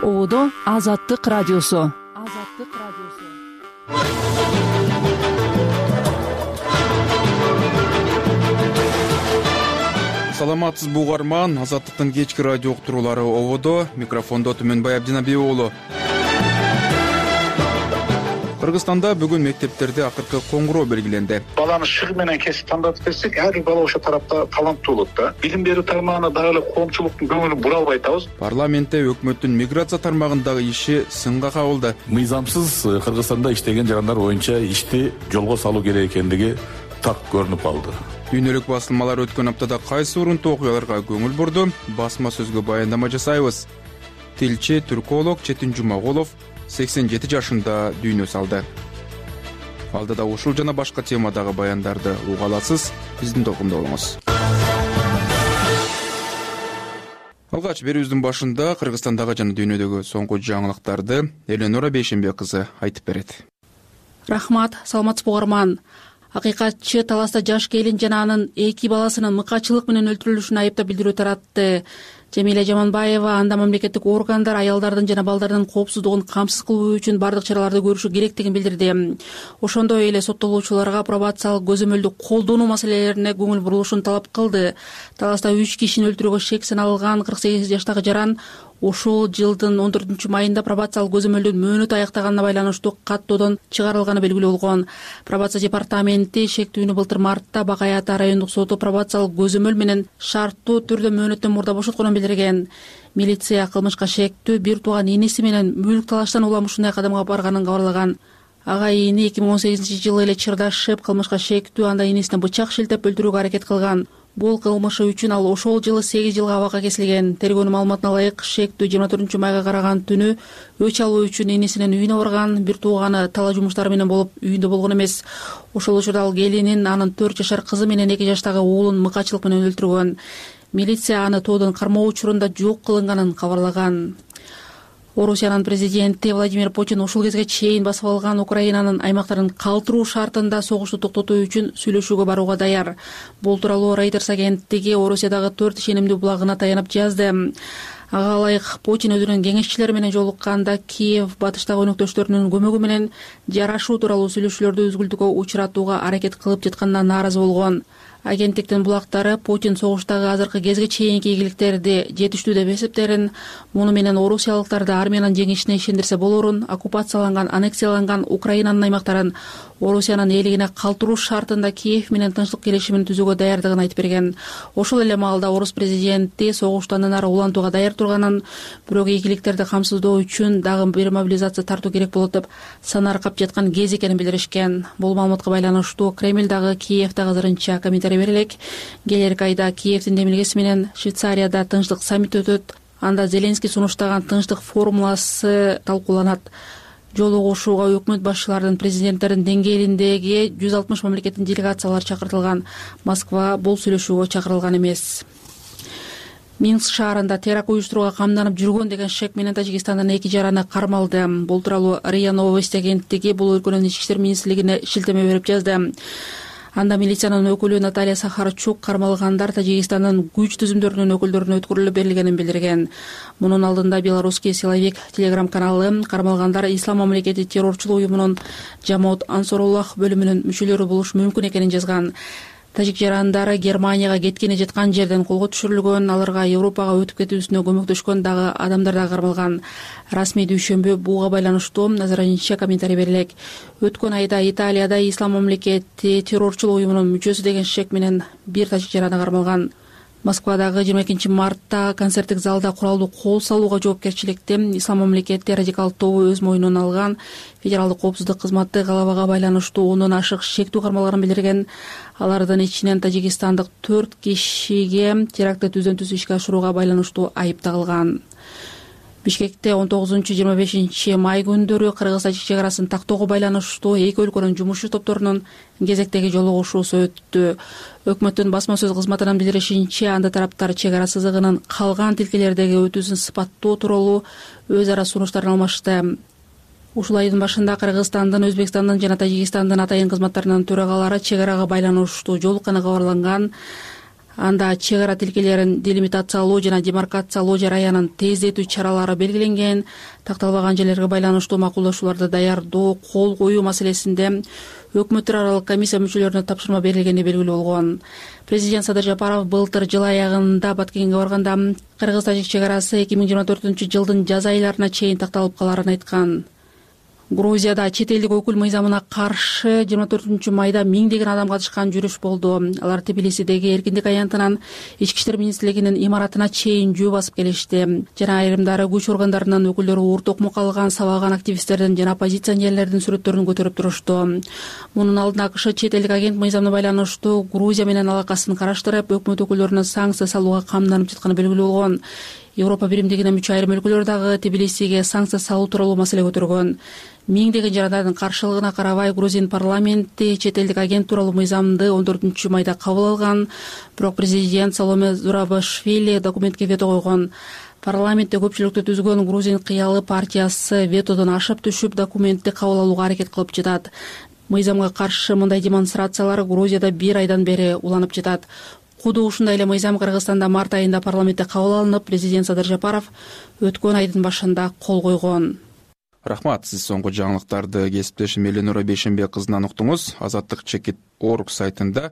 Ободо Азаттык радиосу. Саламатсызбы угарман, Азаттыктын кечки радио уктуруулары ободо. Микрофондо Түмөнбай Абдинабиев уулу. Кыргызстанда бүгүн мектептерде акыркы коңгуроо белгиленди. Баланы шыгы менен кесип тандап берсек, ар бир бала ошо тарапта таланттуу болот да. Билим берүү тармагына дагы эле коомчулуктун көңүлүн бура албай атабыз. Парламентте өкмөттүн миграция тармагындагы иши сынга кабылды. Мыйзамсыз Кыргызстанда иштеген жарандар боюнча ишти жолго салуу керек экендиги так көрүнүп калды. Дүйнөлүк басылмалар өткөн аптада кайсы урунтуу окуяларга көңүл бурду? Басма сөзгө баяндама жасайбыз. Тилчи түрколог Четин Жумагулов 87 жашында дүйнө салды. Алдыда ушул жана башка темадагы баяндарды уга аласыз. Биздин толкунда болуңуз. Алгач берүүбүздүн башында Кыргызстандагы жана дүйнөдөгү соңку жаңылыктарды Эленора Бейшембек кызы айтып берет. Рахмат, саламатсызбы угарман. Акыйкатчы таласта жаш келин жана анын 2 баласынын мыкачылык менен өлтүрүлүшүн айыптап билдирүү таратты. Жамиля Жаманбаева анда мамлекеттик органдар аялдардын жана балдардын коопсуздугун камсыз кылуу үчүн бардык чараларды көрүшү керектигин билдирди. Ошондой эле соттолуучуларга пробациялык көзөмөлдү колдонуу маселелерине көңүл бурулушун талап кылды. Таласта 3 кишини өлтүрүүгө шек саналган 48 жаштагы жаран ушул жылдын 14-майында пробациялык көзөмөлдүн мөөнөтү аяктаганына байланыштуу каттоодон чыгарылганы белгилүү болгон. Пробация департаменти шектүүнү былтыр мартта Бакай Ата райондук соту пробациялык көзөмөл менен шарттуу түрдө мөөнөттөн мурда бошотконун билдирген. Милиция кылмышка шектүү бир тууган иниси менен мүлк талаштан улам ушундай кадамга барганын кабарлаган. Ага ини 2018-жылы эле чырдашып, кылмышка шектүү анда инисине бычак шилтеп өлтүрүүгө аракет кылган. Бул кылмышы үчүн ал ошол жылы 8 жылга абакка кесилген. Тергөөнүн маалыматына ылайык, шектүү 24-майга караган түнү өч алуу үчүн инисинин үйүнө барган. Бир тууганы талаа жумуштары менен болуп үйүндө болгон эмес. Ошол учурда ал келинин, анын 4 жашар кызы менен 2 жаштагы уулун мыкачылык менен өлтүргөн. Милиция аны тоодон кармоо учурунда жок кылынганын кабарлаган. Орусиянын президенти Владимир Путин ушул кезге чейин басып алган Украинанын аймактарын калтыруу шартында согушту токтотуу үчүн сүйлөшүүгө барууга даяр. Бул тууралуу Reuters агенттиги Орусиядагы 4 ишенимдүү булагына таянып жазды. Ага ылайык Путин өзүнүн кеңешчилери менен жолукканда Киев батыштагы өнөктөштөрүнүн көмөгү менен жарашуу тууралуу сүйлөшүүлөрдү үзгүлтүүгө учуратууга аракет кылып жатканына нааразы болгон. Агенттиктин булактары Путин согуштагы азыркы кезге чейинки ийгиликтерди жетиштүү деп эсептерин, муну менен орусиялыктарды армиянын жеңишине ишендирсе болорун, оккупацияланган, аннексияланган Украинанын аймактарын Орусиянын элигине калтыруу шартында Киев менен тынчтык келишимин түзүүгө даярдыгын айтып берген. Ошол эле маалда орус президенти согушту андан ары улантууга даяр турганын, бирок ийгиликтерди камсыздоо үчүн дагы бир мобилизация тартуу керек болот деп санаркап жаткан кез экенин билдиришкен. Бул маалыматка байланыштуу Кремлдагы Киевдагы азырынча комментарий берилек. Келерки айда Киевдин демилгеси менен Швейцарияда тынчтык саммити өтөт. Анда Зеленский сунуштаган тынчтык формуласы талкууланат. Жолугушууга өкмөт башчыларынын, президенттердин деңгээлиндеги 160 мамлекеттин делегациялары чакыртылган. Москва бул сүйлөшүүгө чакырылган эмес. Минск шаарында теракт уюштурууга камданып жүргөн деген шек менен Тажикстандын 2 жараны кармалды. Бул тууралуу РИА Новости агенттиги бул өлкөнүн ички иштер министрлигине шилтеме берип жазды. Анда милициянын өкүлү Наталья Сахарчук кармалгандар Тажикстандын күч түзүмдөрүнүн өкүлдөрүнө өткөрүлүп берилгенин билдирген. Мунун алдында Белорусский силовик телеграм-каналы кармалгандар Ислам мамлекети террорчулук уюмунун Жамоат Ансоруллах бөлүмүнүн мүчөлөрү болушу мүмкүн экенин жазган. Тажик жарандары Германияга кеткени жаткан жерден колго түшүрүлгөн, аларга Европага өтүп кетүүсүнө көмөктөшкөн дагы адамдар да кармалган. Расмий дүйшөмбү буга байланыштуу азырынча комментарий берилек. Өткөн айда Италияда Ислам мамлекети террорчулук уюмунун мүчөсү деген шек менен бир тажик жараны кармалган. Москвадагы 22 мартта концерттик залда куралдуу кол салууга жоопкерчиликти Ислам мамлекети радикал тобу өз мойнуна алган. Федералдык коопсуздук кызматы галабага байланыштуу 10дон ашык шектүү кармалганын билдирген. Алардын ичинен тажикстандык 4 кишиге терактты түздөн түз ишке ашырууга байланыштуу айып тагылган. Бишкекте 19-25 май күндөрү Кыргыз-Тажик чек арасын тактоого байланыштуу эки өлкөнүн жумушчу топторунун кезектеги жолугушуусу өттү. Өкмөттүн басма сөз кызматынын билдиришинче, анда тараптар чек ара сызыгынын калган тилкелердеги өтүүсүн сыпаттоо тууралуу өз ара сунуштарын алмашты. Ушул айдын башында Кыргызстандын, Өзбекстандын жана Тажикстандын атайын кызматтарынын төрагалары чек арага байланыштуу жолукканы кабарланган. Анда чек ара тилкелерин делимитациялоо жана демаркациялоо жараянын тездетүү чаралары белгиленген. Такталбаган жерлерге байланыштуу макулдашууларды даярдоо, кол коюу маселесинде өкмөттөр аралык комиссия мүчөлөрүнө тапшырма берилгени белгилүү болгон. Президент Садыр Жапаров былтыр жыл аягында Баткенге барганда Кыргыз-Тажик чек арасы 2024-жылдын жаз айларына чейин такталып каларын айткан. Грузияда чет элдик өкүл мыйзамына каршы 24-майда миңдеген адам катышкан жүрүш болду. Алар Тбилисидеги Эркиндик аянтынан Ички иштер министрлигинин имаратына чейин жөө басып келишти. Жана айрымдары күч органдарынын өкүлдөрү оор токмо калган, сабаган активисттердин жана оппозиционерлердин сүрөттөрүн көтөрүп турушту. Мунун алдында АКШ чет элдик агент мыйзамына байланыштуу Грузия менен алакасын караштырып, өкмөт өкүлдөрүнө санкция салууга камданып жатканы белгилүү болгон. Европа биримдигине мүчө айрым өлкөлөр дагы Тбилисиге санкция салуу тууралуу маселе көтөргөн. Миңдеген жарандардын каршылыгына карабай Грузин парламенти чет элдик агент тууралуу мыйзамды 14-майда кабыл алган. Бирок президент Саломе Зурабашвили документке вето койгон. Парламентте көпчүлүктү түзгөн Грузин кыялы партиясы ветодон ашып түшүп документти кабыл алууга аракет кылып жатат. Мыйзамга каршы мындай демонстрациялар Грузияда 1 айдан бери уланып жатат. Куду ушундай эле мыйзам Кыргызстанда март айында парламентте кабыл алынып, президент Садыр Жапаров өткөн айдын башында кол койгон. Рахмат, сиз соңку жаңылыктарды кесиптешим Эленора Бейшенбек кызынан уктуңуз. Азаттык.org сайтында,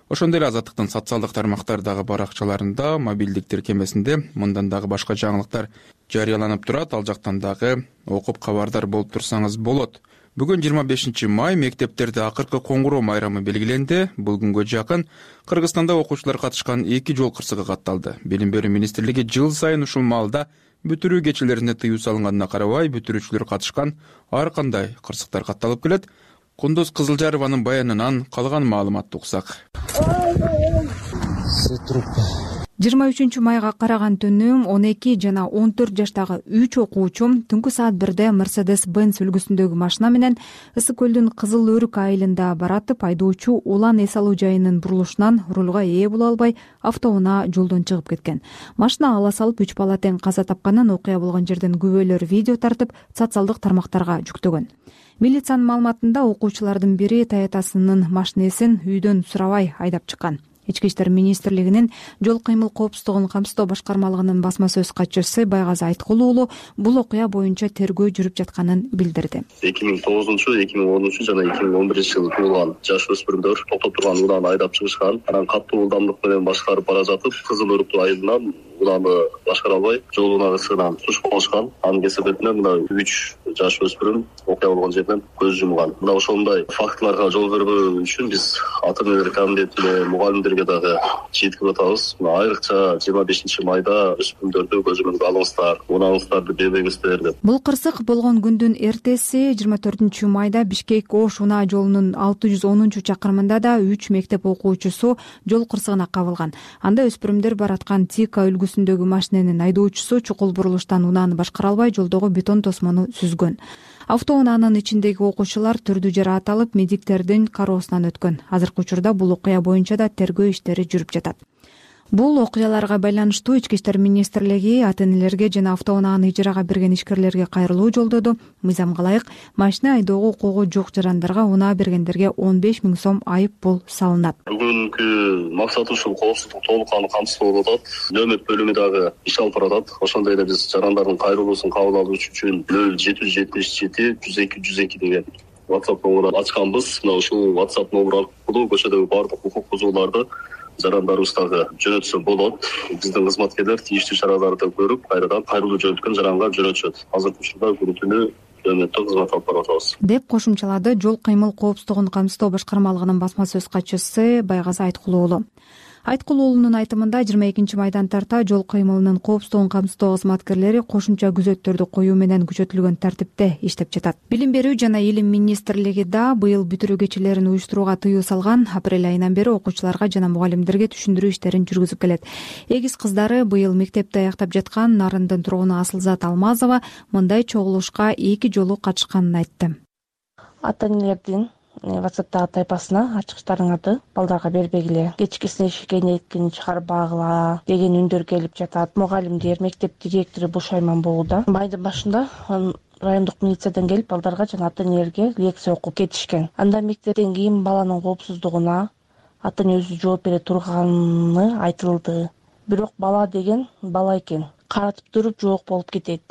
ошондой эле Азаттыктын социалдык тармактардагы баракчаларында, мобилдик тиркемесинде мындан дагы башка жаңылыктар жарыяланып турат. Ал жактан дагы окуп кабардар болуп турсаңыз болот. Бүгүн 25-май мектептерде акыркы коңгуроо майрамы белгиленди. Бул күнгө жакын Кыргызстанда окуучулар катышкан 2 жол кырсыгы катталды. Билим берүү министрлиги жыл сайын ушул маалда бүтүрүү кечелерине тыюу салынганына карабай, бүтүрүүчүлөр катышкан ар кандай кырсыктар катталып келет. Кундуз Кызылжарованын баянынан калган маалыматты уксак. 23-майга караган түнү 12 жана 14 жаштагы 3 окуучу түнкү саат 1-де Mercedes-Benz үлгүсүндөгү машина менен Ысык көлдүн Кызыл Өрүк айылында баратып, айдоочу улан эс алуу жайынын бурулушунан рулга ээ боло албай, автоунаа жолдон чыгып кеткен. Машина ала салып 3 бала тең каза тапканын окуя болгон жерден күбөлөр видео тартып, социалдык тармактарга жүктөгөн. Милициянын маалыматында окуучулардын бири Toyota'сынын машинесин үйдөн сурабай айдап чыккан. Ички иштер министрлигинин жол кыймыл коопсуздугун камсыздоо башкармалыгынын басма сөз катчысы Байгазы Айткул уулу бул окуя боюнча тергөө жүрүп жатканын билдирди. 2009, 2010 жана 2011-жылы туулган жаш өспүрүмдөр токтоп турган унааны айдап чыгышкан. Анан катуу ылдамдык менен башкарып бара жатып, Кызыл Өрүк айылынан унааны башкара албай, жол унаасынан түшүп калышкан. Анын кесепетинен мына 3 жаш өспүрүм окуя болгон жерден көз жумган. Мына ошондой фактыларга жол бербөө үчүн биз ата-энелер комитетине, мугалимдерге дагы жеткирип атабыз. Айрыкча 25-майда өспүрүмдөрдү көзөмөлгө алыңыздар, унааңыздарды бербеңиздер деп. Бул кырсык болгон күндүн эртеси 24-майда Бишкек-Ош унаа жолунун 610-чакырымында да 3 мектеп окуучусу жол кырсыгына кабылган. Анда өспүрүмдөр бараткан Тика үлгүсүндөгү машиненин айдоочусу чукул бурулуштан унааны башкара албай жолдогу бетон тосмону сүзгөн. Автоунаанын ичиндеги окуучулар түрдүү жараат алып, медиктердин кароосунан өткөн. Азыркы учурда бул окуя боюнча да тергөө иштери жүрүп жатат. Бул окуяларга байланыштуу Ички иштер министрлиги ата-энелерге жана автоунааны ижарага берген ишкерлерге кайрылуу жолдоду. Мыйзамга ылайык машина айдоого укугу жок жарандарга унаа бергендерге 15 000 сом айып пул салынат. Бүгүнкү максат ушул коопсуздук толук камсыздоо болуп атат. Нөмөт бөлүмү дагы иш алып баратат. Ошондой эле биз жарандардын кайрылуусун кабыл алуу үчүн 0777 102 102 деген WhatsApp номурун ачканбыз. Мына ушул WhatsApp номуру аркылуу көчөдөгү баардык укук бузууларды жарандарыбыздагы жөнөтсө болот. Биздин кызматкерлер тийиштүү чараларды көрүп, кайрадан кайрылуу жөнөткөн жаранга жөнөтүшөт. Азыркы учурда күнү-түнү нөмөттө кызмат алып барып атабыз. Деп кошумчалады жол кыймыл коопсуздугун камсыздоо башкармалыгынын басма сөз катчысы Байгазы Айткул уулу. Айткул уулунун айтымында 22-майдан тарта жол кыймылынын коопсуздугун камсыздоо кызматкерлери кошумча күзөттөрдү коюу менен күчөтүлгөн тартипте иштеп жатат. Билим берүү жана илим министрлиги да быйыл бүтүрүү кечелерин уюштурууга тыюу салган. Апрель айынан бери окуучуларга жана мугалимдерге түшүндүрүү иштерин жүргүзүп келет. Эгиз кыздары быйыл мектепти аяктап жаткан Нарындын тургуну Асылзат Алмазова мындай чогулушка 2 жолу катышканын айтты. Ата-энелердин WhatsApp'тагы тайпасына ачкычтарыңарды балдарга бербегиле, кечкисине эшикке эткини чыгарбагыла деген үндөр келип жатат. Мугалимдер, мектеп директору бушайман болууда. Майдын башында райондук милициядан келип балдарга жана ата-энелерге лекция окуп кетишкен. Анда мектептен кийин баланын коопсуздугуна, ата эне өзү жооп бере турганы айтылды. Бирок бала деген бала экен, каратып туруп жок болуп кетет.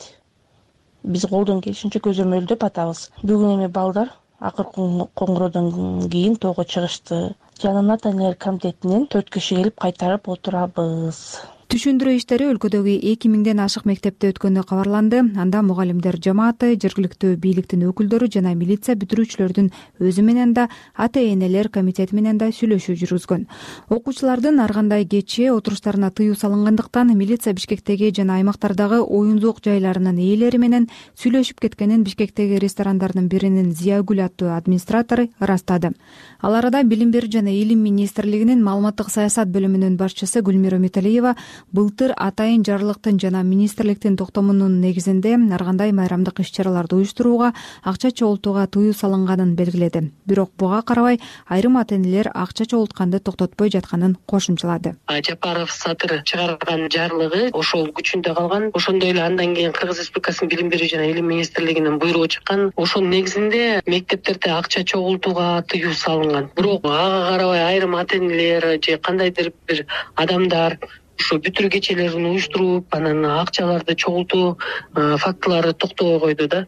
Биз колдон келишинче көзөмөлдөп атабыз. Бүгүн эми балдар акыркы коңгуроодон кийин тоого чыгышты. Жанына ата энелер комитетинен 4 киши келип кайтарып отурабыз. Түшүндүрүү иштери өлкөдөгү 2000ден ашык мектепте өткөнү кабарланды. Анда мугалимдер жамааты, жергиликтүү бийликтин өкүлдөрү жана милиция бүтүрүүчүлөрдүн өзү менен да, ата энелер комитети менен да сүйлөшүү жүргүзгөн. Окуучулардын ар кандай кечээ отуруштарына тыюу салынгандыктан милиция Бишкектеги жана аймактардагы оюн-зоок жайларынын ээлери менен сүйлөшүп кеткенин Бишкектеги ресторандардын биринин Зиягүл аттуу администратору ырастады. Ал арада Билим берүү жана Илим министрлигинин маалыматтык саясат бөлүмүнүн башчысы Гүлмира Үмүталиева былтыр атайын жарлыктын жана министрликтин токтомунун негизинде ар кандай майрамдык иш-чараларды уюштурууга, акча чогултууга тыюу салынганын белгиледи. Бирок буга карабай айрым ата энелер акча чогултканды токтотпой жатканын кошумчалады. Жапаров Сатыр чыгарган жарлыгы ошол күчүндө калган. Ошондой эле андан кийин Кыргыз Республикасынын Билим берүү жана Илим министрлигинин буйругу чыккан. Ошонун негизинде мектептерде акча чогултууга тыюу салынган. Бирок ага карабай айрым ата энелер же кандайдыр бир адамдар ушу бүтүрүү кечелерин уюштуруп, анан акчаларды чогултуу фактылары токтобой койду да.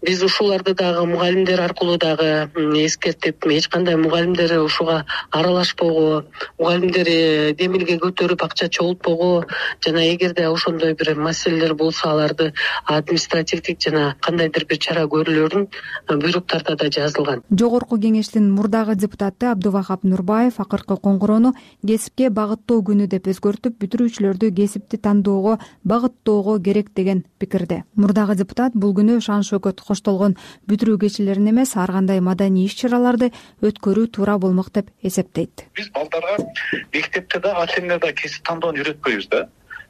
Биз ушуларды дагы мугалимдер аркылуу дагы эскертип, эч кандай мугалимдер ушуга аралашпогу, мугалимдер демилге көтөрүп акча чогултпогу жана эгерде ошондой бир маселелер болсо аларды административдик жана кандайдыр бир чара көрүлөрүн буйруктарда да жазылган. Жогорку кеңештин мурдагы депутаты Абдувахап Нурбаев акыркы коңгуроону кесипке багыттоо күнү деп өзгөртүп, бүтүрүүчүлөрдү кесипти тандоого багыттоого керек деген пикирде. Мурдагы депутат бул күнү шан шөкөт коштолгон бүтүрүү кечелерин эмес, ар кандай маданий иш-чараларды өткөрүү туура болмок деп эсептейт. Биз балдарга мектепте да ата энелер да кесип тандоону үйрөтпөйбүз да.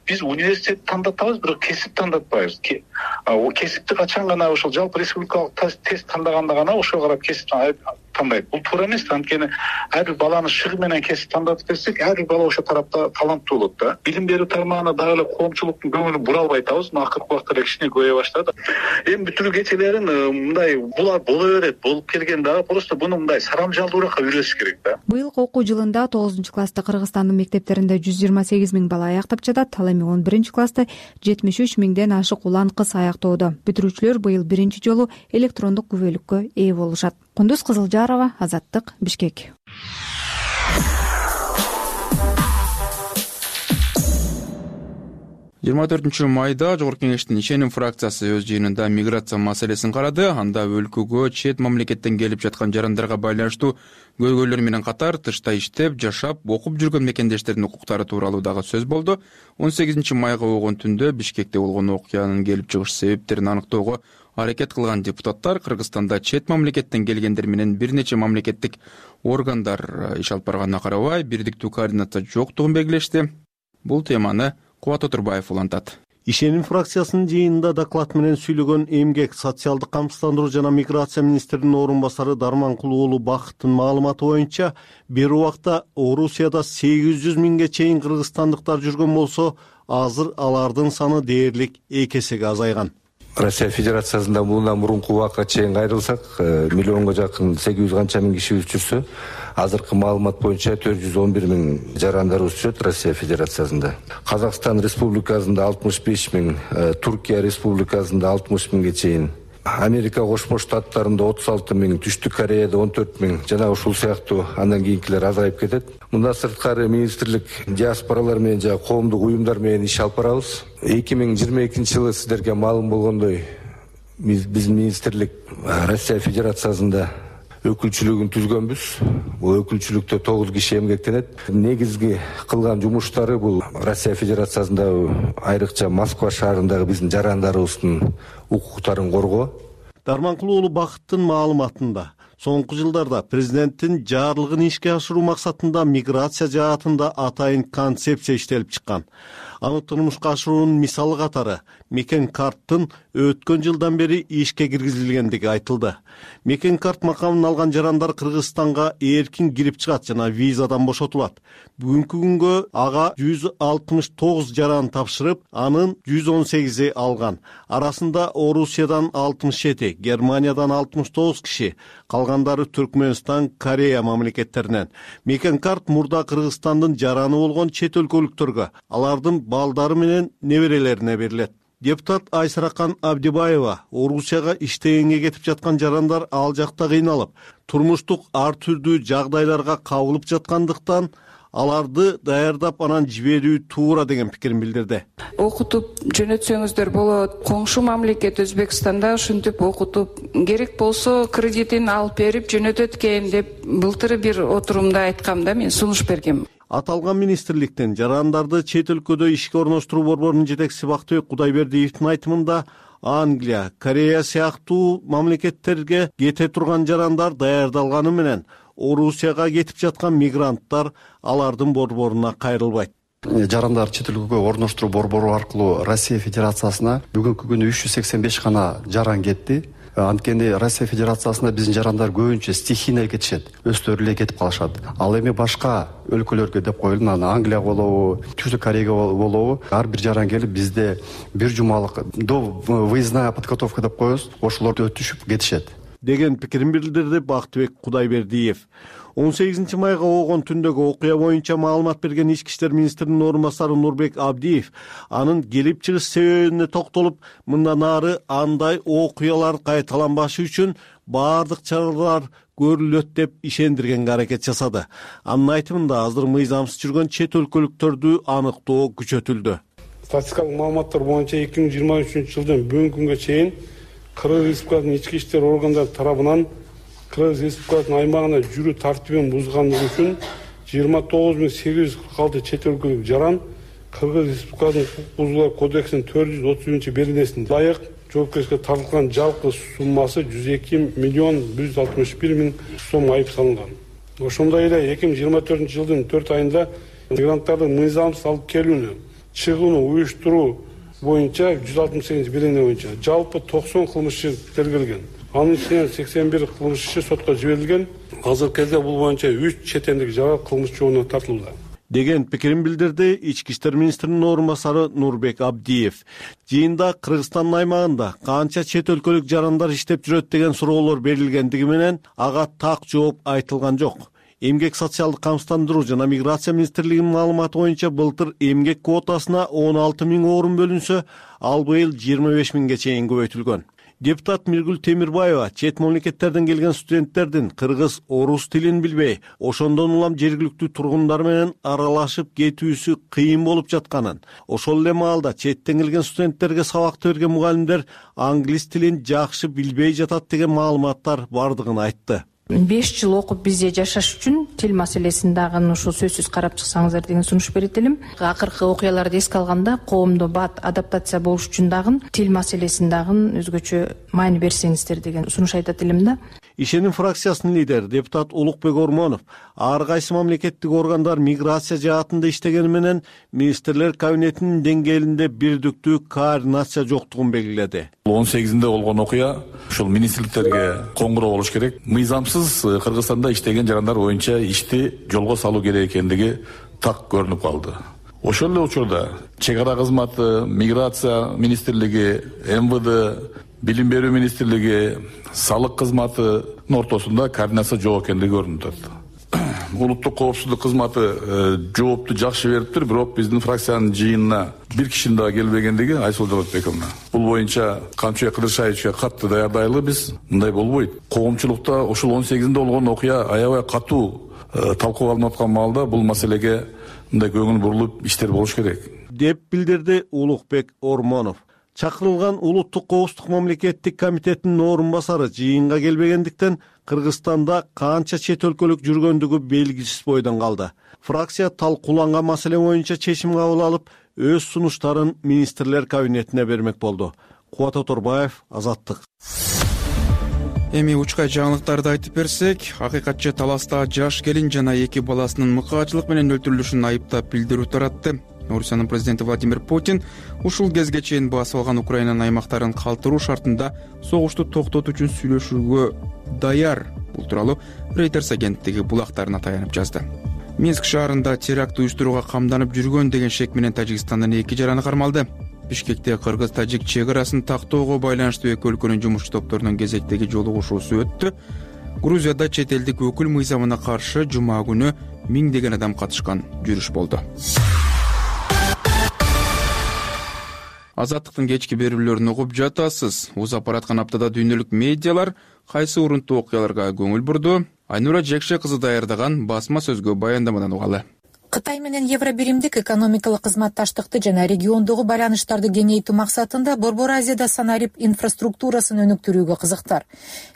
Биз университет тандатабыз, бирок кесип тандатпайбыз. Кесипти качан гана ошол жалпы республикалык тест тандаганда гана ошого карап кесип тандайт. Бул туура эмес. Анткени ар бир баланы шыгы менен кесип тандатып берсек, ар бир бала ошо тарапта таланттуу болот да. Билим берүү тармагына дагы эле коомчулуктун көңүлүн бура албай атабыз. Акыркы убакта эле кичине көбөйө баштады. Эми бүтүрүү кечелерин мындай булар боло берет, болуп келген дагы просто буну мындай сарамжалдуураак үйрөтүш керек да. Быйылкы окуу жылында 9-класста Кыргызстандын мектептеринде 128 000 бала аяктап жатат. Ал эми 11-класста 73 000ден ашык улан кыз аяктоодо. Бүтүрүүчүлөр быйыл биринчи жолу электрондук күбөлүккө ээ болушат. Кундуз Кызылжарова, Азаттык, Бишкек. 24 майда Жогорку Кеңештин ишеним фракциясы өз жыйынында миграция маселесин карады. Анда өлкөгө чет мамлекеттен келип жаткан жарандарга байланыштуу көйгөйлөр менен катар тышта иштеп, жашап, окуп жүргөн мекендештердин укуктары тууралуу дагы сөз болду. 18 майга болгон түндө Бишкекте болгон окуянын келип чыгыш себептерин аныктоого аракет кылган депутаттар Кыргызстанда чет мамлекеттен келгендер менен бир нече мамлекеттик органдар иш алып барганына карабай бирдиктүү координация жоктугун белгилешти. Бул теманы Кубат Отурбаев улантат. Ишеним фракциясынын жыйынында доклад менен сүйлөгөн Эмгек, социалдык камсыздандыруу жана миграция министринин орун басары Дарманкул уулу Бакыттын маалыматы боюнча, бир убакта Орусияда 800 000ге чейин кыргызстандыктар жүргөн болсо, азыр алардын саны дээрлик 2 эсеге азайган. Россия Федерациясында мындан мурунку убакка чейин кайрылсак, миллионго жакын 800 канча миң кишибиз жүрсө, азыркы маалымат боюнча 411 000 жарандарыбыз жүрөт Россия Федерациясында. Казакстан Республикасында 65 000, Туркия Республикасында 60 000ге чейин, Америка Кошмо Штаттарында 36 000, Түштүк Кореяда 14 000 жана ушул сыяктуу андан кийинкилер азайып кетет. Мында сырткары министрлик диаспоралар менен жана коомдук уюмдар менен иш алып барабыз. 2022 жылы сиздерге маалым болгондой, биздин министрлик Россия Федерациясында өкүлчүлүгүн түзгөнбүз. Бул өкүлчүлүктө 9 киши эмгектенет. Негизги кылган жумуштары бул Россия Федерациясында айрыкча Москва шаарындагы биздин жарандарыбыздын укуктарын коргоо. Дарманкул уулу Бакыттын маалыматында соңку жылдарда президенттин жарлыгын ишке ашыруу максатында миграция жаатында атайын концепция иштелип чыккан. Аны турмушка ашыруунун мисалы катары Мекен Карттын өткөн жылдан бери ишке киргизилгендиги айтылды. Мекен Карт макамын алган жарандар Кыргызстанга эркин кирип чыгат жана визадан бошотулат. Бүгүнкү күнгө ага 169 жаран тапшырып, анын 118 алган. Арасында Орусиядан 67, Германиядан 69 киши, калгандары Түркмөнстан, Корея мамлекеттеринен. Мекен Карт мурда Кыргызстандын жараны болгон чет өлкөлүктөргө, алардын балдары менен неберелерине берилет. Депутат Айсаракан Абдибаева Орусияга иштегенге кетип жаткан жарандар ал жакта кыйналып, турмуштук ар түрдүү жагдайларга кабылып жаткандыктан аларды даярдап анан жиберүү туура деген пикирин билдирди. Окутуп жөнөтсөңүздөр болот. Коңшу мамлекет Өзбекстанда ушинтип окутуп, керек болсо кредитин алып берип жөнөтөт экен деп былтыр бир отурумда айткам да, мен сунуш бергем. Аталган министрликтен жарандарды чет өлкөдө ишке орноштуруу борборунун жетекчиси Бактыбек Кудайбердиевдин айтымында Англия, Корея сыяктуу мамлекеттерге кете турган жарандар даярдалганы менен Орусияга кетип жаткан мигранттар алардын борборуна кайрылбайт. Жарандар чет өлкөгө орноштуруу борбору аркылуу Россия Федерациясына бүгүнкү күнү 385 гана жаран кетти. Анткени Россия Федерациясына биздин жарандар көбүнчө стихийно кетишет, өздөрү эле кетип калышат. Ал эми башка өлкөлөргө деп коелу, Англия болобу, Түштүк Кореяга болобу, ар бир жаран келип бизде бир жумалык до выездная подготовка деп коебуз, ошолорду өтүшүп кетишет деген пикирин билдирди Бактыбек Кудайбердиев. 18 майга болгон түндөгү окуя боюнча маалымат берген Ички иштер министринин орун басары Нурбек Абдиев анын келип чыгыш себебине токтолуп, мындан ары андай окуялар кайталанбашы үчүн баардык чаралар көрүлөт деп ишендиргенге аракет жасады. Анын айтымында азыр мыйзамсыз жүргөн чет өлкөлүктөрдү аныктоо күчөтүлдү. Статистикалык маалыматтар боюнча 2023 жылдан бүгүнкү күнгө чейин Кыргыз Республикасынын ички иштер органдары тарабынан Кыргыз Республикасынын аймагына жүрүү тартибин бузганлыгы үчүн 29846 чет өлкөлүк жаран Кыргыз Республикасынын укук бузуулар кодексинин 430-беренесинде ылайык жоопкерчиликке тартылган жалпы суммасы 102 миллион 161 миң сом айып салынган. Ошондой эле 2024 жылдын 4 айында мигранттардын мыйзамсыз алып келүүнү, чыгууну уюштуруу боюнча 168 берене боюнча жалпы 90 кылмышчы тергелген. Анын ичинен 81 кылмышчы сотко жиберилген. Азыркы кезде бул боюнча 3 чет элдик жаран кылмыш жообуна тартылууда деген пикирин билдирди Ички иштер министринин орун басары Нурбек Абдиев. Жыйында Кыргызстандын аймагында канча чет өлкөлүк жарандар иштеп жүрөт деген суроолор берилгендиги менен ага так жооп айтылган жок. Эмгек социалдык камсыздандыруу жана миграция министрлигинин маалыматы боюнча былтыр эмгек квотасына 16 миң орун бөлүнсө, ал быйыл 25 миңге чейин көбөйтүлгөн. Депутат Миргүл Темирбаева чет мамлекеттерден келген студенттердин кыргыз, орус тилин билбей, ошондон улам жергиликтүү тургундар менен аралашып кетүүсү кыйын болуп жатканын, ошол эле маалда четтен келген студенттерге сабакты берген мугалимдер англис тилин жакшы билбей жатат деген маалыматтар бардыгын айтты. 5 жыл окуп бизде жашаш үчүн тил маселесин дагы ушул сөзсүз карап чыксаңыздар деген сунуш берет элем. Акыркы окуяларды эске алганда коомдо бат адаптация болуш үчүн дагы тил маселесин дагы өзгөчө маани берсеңиздер деген сунуш айтат элем да. Ишеним фракциясынын лидери депутат Улукбек Ормонов ар кайсы мамлекеттик органдар миграция жаатында иштегени менен министрлер кабинетинин деңгээлинде бирдиктүү координация жоктугун белгиледи. 18-нде болгон окуя ушул министрликтерге коңгуроо болуш керек. Мыйзамсыз Кыргызстанда иштеген жарандар боюнча ишти жолго салуу керек экендиги так көрүнүп калды. Ошол эле учурда чек ара кызматы, миграция министрлиги, МВД, билим берүү министрлиги, салык кызматынын ортосунда координация жок экендиги көрүнүп атат. Улуттук коопсуздук кызматы жоопту жакшы бериптир, бирок биздин фракциянын жыйынына бир кишинин дагы келбегендиги Айсул Жолотбековна. Бул боюнча Камчыбек Кыдыршаевичке катты даярдайлы биз. Мындай болбойт. Коомчулукта ушул 18-нде болгон окуя аябай катуу талкууга алынып аткан маалда бул маселеге мындай көңүл бурулуп иштер болуш керек деп билдирди Улукбек Ормонов. Чакырылган Улуттук коопсуздук мамлекеттик комитетинин орун басары жыйынга келбегендиктен Кыргызстанда канча чет өлкөлүк жүргөндүгү белгисиз бойдон калды. Фракция талкууланган маселе боюнча чечим кабыл алып, өз сунуштарын министрлер кабинетине бермек болду. Кубат Оторбаев, Азаттык. Эми учкай жаңылыктарды айтып берсек, акыйкатчы Таласта жаш келин жана 2 баласынын мыкаачылык менен өлтүрүлүшүн айыптап билдирүү таратты. Орусиянын президенти Владимир Путин ушул кезге чейин басып алган Украинанын аймактарын калтыруу шартында согушту токтотуу үчүн сүйлөшүүгө даяр. Бул тууралуу Reuters агенттиги булактарына таянып жазды. Минск шаарында теракт уюштурууга камданып жүргөн деген шек менен Тажикстандын 2 жараны кармалды. Бишкекте кыргыз-тажик чек арасын тактоого байланыштуу эки өлкөнүн жумушчу топторунун кезектеги жолугушуусу өттү. Грузияда чет элдик өкүл мыйзамына каршы жума күнү миңдеген адам катышкан жүрүш болду. Азаттыктын кечки берүүлөрүн угуп жатасыз. Узап бараткан аптада дүйнөлүк медиалар кайсы урунттуу окуяларга көңүл бурду? Айнура Жекше кызы даярдаган басма сөзгө баяндамадан угалы. Кытай менен Евробиримдик экономикалык кызматташтыкты жана региондогу байланыштарды кеңейтүү максатында Борбор Азияда санарип инфраструктурасын өнүктүрүүгө кызыктар.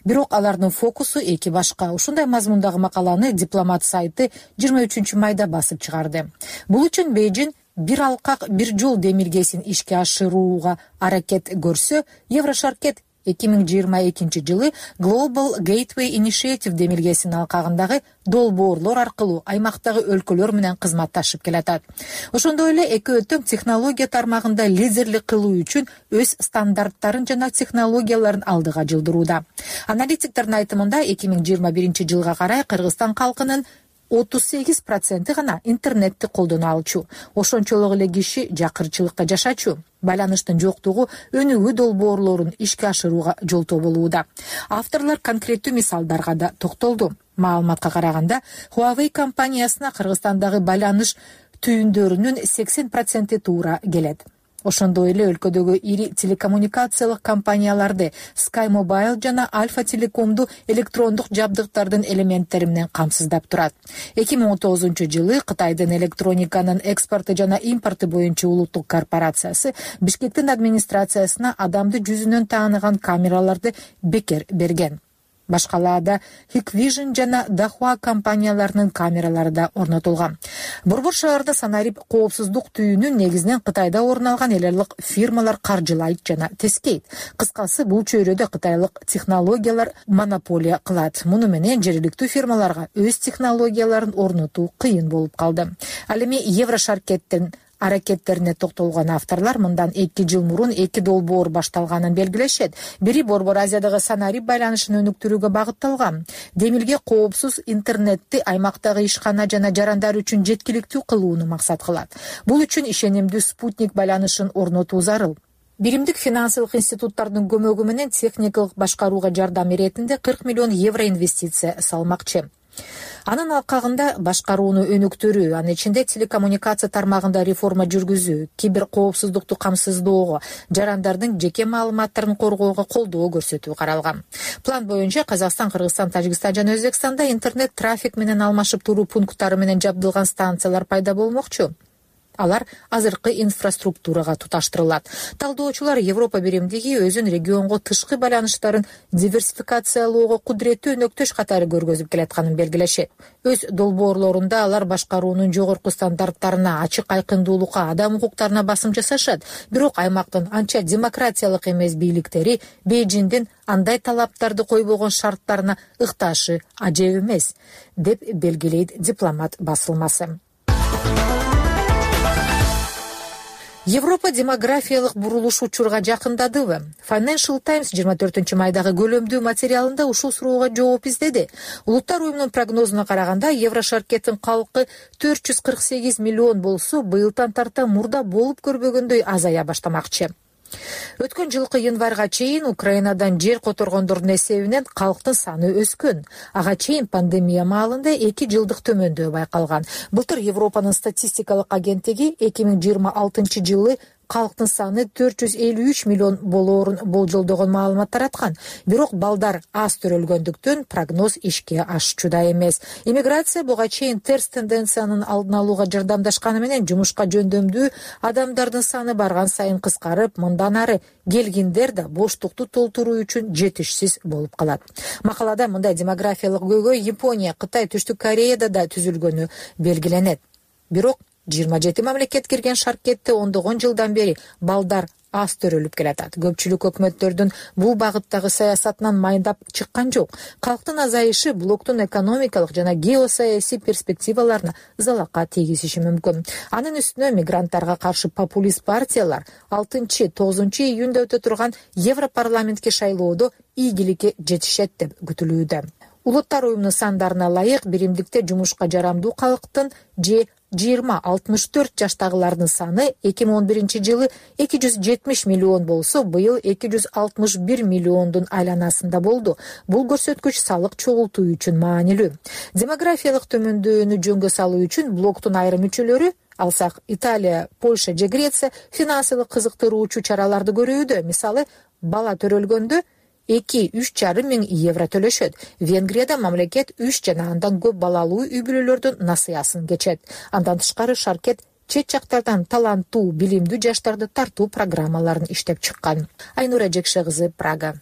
Бирок алардын фокусу эки башка. Ушундай мазмундагы макаланы Дипломат сайты 23 майда басып чыгарды. Бул үчүн Бейжин бир алкак, бир жол демилгесин ишке ашырууга аракет көрсө, Еврошаркет 2022 жылы Global Gateway Initiative демилгесинин алкагындагы долбоорлор аркылуу аймактагы өлкөлөр менен кызматташып келатат. Ошондой эле эки өтөң технология тармагында лидерлик кылуу үчүн өз стандарттарын жана технологияларын алдыга жылдырууда. Аналитиктердин айтымында 2021 жылга карай Кыргызстан калкынын 38% гана интернетти колдоно алчу. Ошончолук эле киши жакырчылыкка жашачу. Байланыштын жоктугу өнүгүү долбоорлорун ишке ашырууга жолтоо болууда. Авторлор конкреттүү мисалдарга да токтолду. Маалыматка караганда, Huawei компаниясына Кыргызстандагы байланыш түйүндөрүнүн 80% туура келет. Ошондой эле өлкөдөгү ири телекоммуникациялык компанияларды Sky Mobile жана Alfa Telecom'ду электрондук жабдыктардын элементтери менен камсыздап турат. 2019 жылы Кытайдын электрониканын экспорту жана импорту боюнча улуттук корпорациясы Бишкектин администрациясына адамды жүзүнөн тааныган камераларды бекер берген. Башкаларда Hikvision жана Dahua компанияларынын камералары да орнотулган. Борбор шаарда санарип коопсуздук түйүнүн негизинен Кытайда орун алган эл аралык фирмалар каржылайт жана тескейт. Кыскасы, бул чөйрөдө кытайлык технологиялар монополия кылат. Муну менен жергиликтүү фирмаларга өз технологияларын орнотуу кыйын болуп калды. Ал эми Еврошаркеттин аракеттерине токтолгон авторлор мындан 2 жыл мурун 2 долбоор башталганын белгилешет. Бири Борбор Азиядагы санарип байланышын өнүктүрүүгө багытталган. Демилге коопсуз интернетти аймактагы ишкана жана жарандар үчүн жеткиликтүү кылууну максат кылат. Бул үчүн ишенимдүү спутник байланышын орнотуу зарыл. Биримдик финансылык институттардын көмөгү менен техникалык башкарууга жардам иретинде 40 миллион евро инвестиция салмакчы. Анын алкагында башкарууну өнүктүрүү, анын ичинде телекоммуникация тармагында реформа жүргүзүү, кибер коопсуздукту камсыздоого, жарандардын жеке маалыматтарын коргоого колдоо көрсөтүү каралган. План боюнча Казакстан, Кыргызстан, Тажикстан жана Өзбекстанда интернет трафик менен алмашып туруу пункттары менен жабдылган станциялар пайда болмокчу. Алар азыркы инфраструктурага туташтырылат. Талдоочулар Европа биримдиги өзүн регионго тышкы байланыштарын диверсификациялоого кудуреттүү өнөктөш катары көргөзүп келатканын белгилешет. Өз долбоорлорунда алар башкаруунун жогорку стандарттарына, ачык айкындуулукка, адам укуктарына басым жасашат. Бирок аймактын анча демократиялык эмес бийликтери Бейжиңдин андай талаптарды койбогон шарттарына ыкташы ажеп эмес, деп белгилейт Дипломат басылмасы. Европа демографиялык бурулуш учурга жакындадыбы? Financial Times 24 майдагы көлөмдүү материалында ушул суроого жооп издеди. Улуттар уюмунун прогнозуна караганда, Еврошаркеттин калкы 448 миллион болсо, быйылдан тарта мурда болуп көрбөгөндөй азая баштамакчы. Өткөн жылкы январга чейин Украинадан жер которгондордун эсебинен калктын саны өскөн. Ага чейин пандемия маалында 2 жылдык төмөндөө байкалган. Былтыр Европанын статистикалык агенттиги 2026 жылы калктын саны 453 миллион болоорун болжолдогон маалымат тараткан. Бирок балдар аз төрөлгөндүктөн прогноз ишке ашчуда эмес. Иммиграция буга чейин терс тенденциянын алдын алууга жардамдашканы менен жумушка жөндөмдүү адамдардын саны барган сайын кыскарып, мындан ары келгиндер да боштукту толтуруу үчүн жетишсиз болуп калат. Макалада мындай демографиялык көйгөй Япония, Кытай, Түштүк Кореяда да түзүлгөнү белгиленет. Бирок 27 мамлекет кирген шаркетте ондогон жылдан бери балдар аз төрөлүп келатат. Көпчүлүк өкмөттөрдүн бул багыттагы саясатынан майдап чыккан жок. Калктын азайышы блоктун экономикалык жана геосаясий перспективаларына залака тийгизиши мүмкүн. Анын үстүнө мигранттарга каршы популист партиялар 6-9 июнда өтө турган Европарламентке шайлоодо ийгиликке жетишет деп күтүлүүдө. Улуттар уюмунун сандарына ылайык биримдикте жумушка жарамдуу калктын же 20-64 жаштагылардын саны 2011-жылы 270 миллион болсо, быйыл 261 миллиондун айланасында болду. Бул көрсөткүч салык чогултуу үчүн маанилүү. Демографиялык төмөндүүнү жөнгө салуу үчүн блоктун айрым мүчөлөрү, алсак Италия, Польша же Греция финансылык кызыктыруучу чараларды көрүүдө. Мисалы, бала төрөлгөндө 2-3,5 миң евро төлөшөт. Венгрияда мамлекет 3 жана андан көп балалуу үй-бүлөлөрдүн насыясын кечет. Андан тышкары шаркет чет жактардан таланттуу, билимдүү жаштарды тартуу программаларын иштеп чыккан. Айнура Жекше кызы, Прага.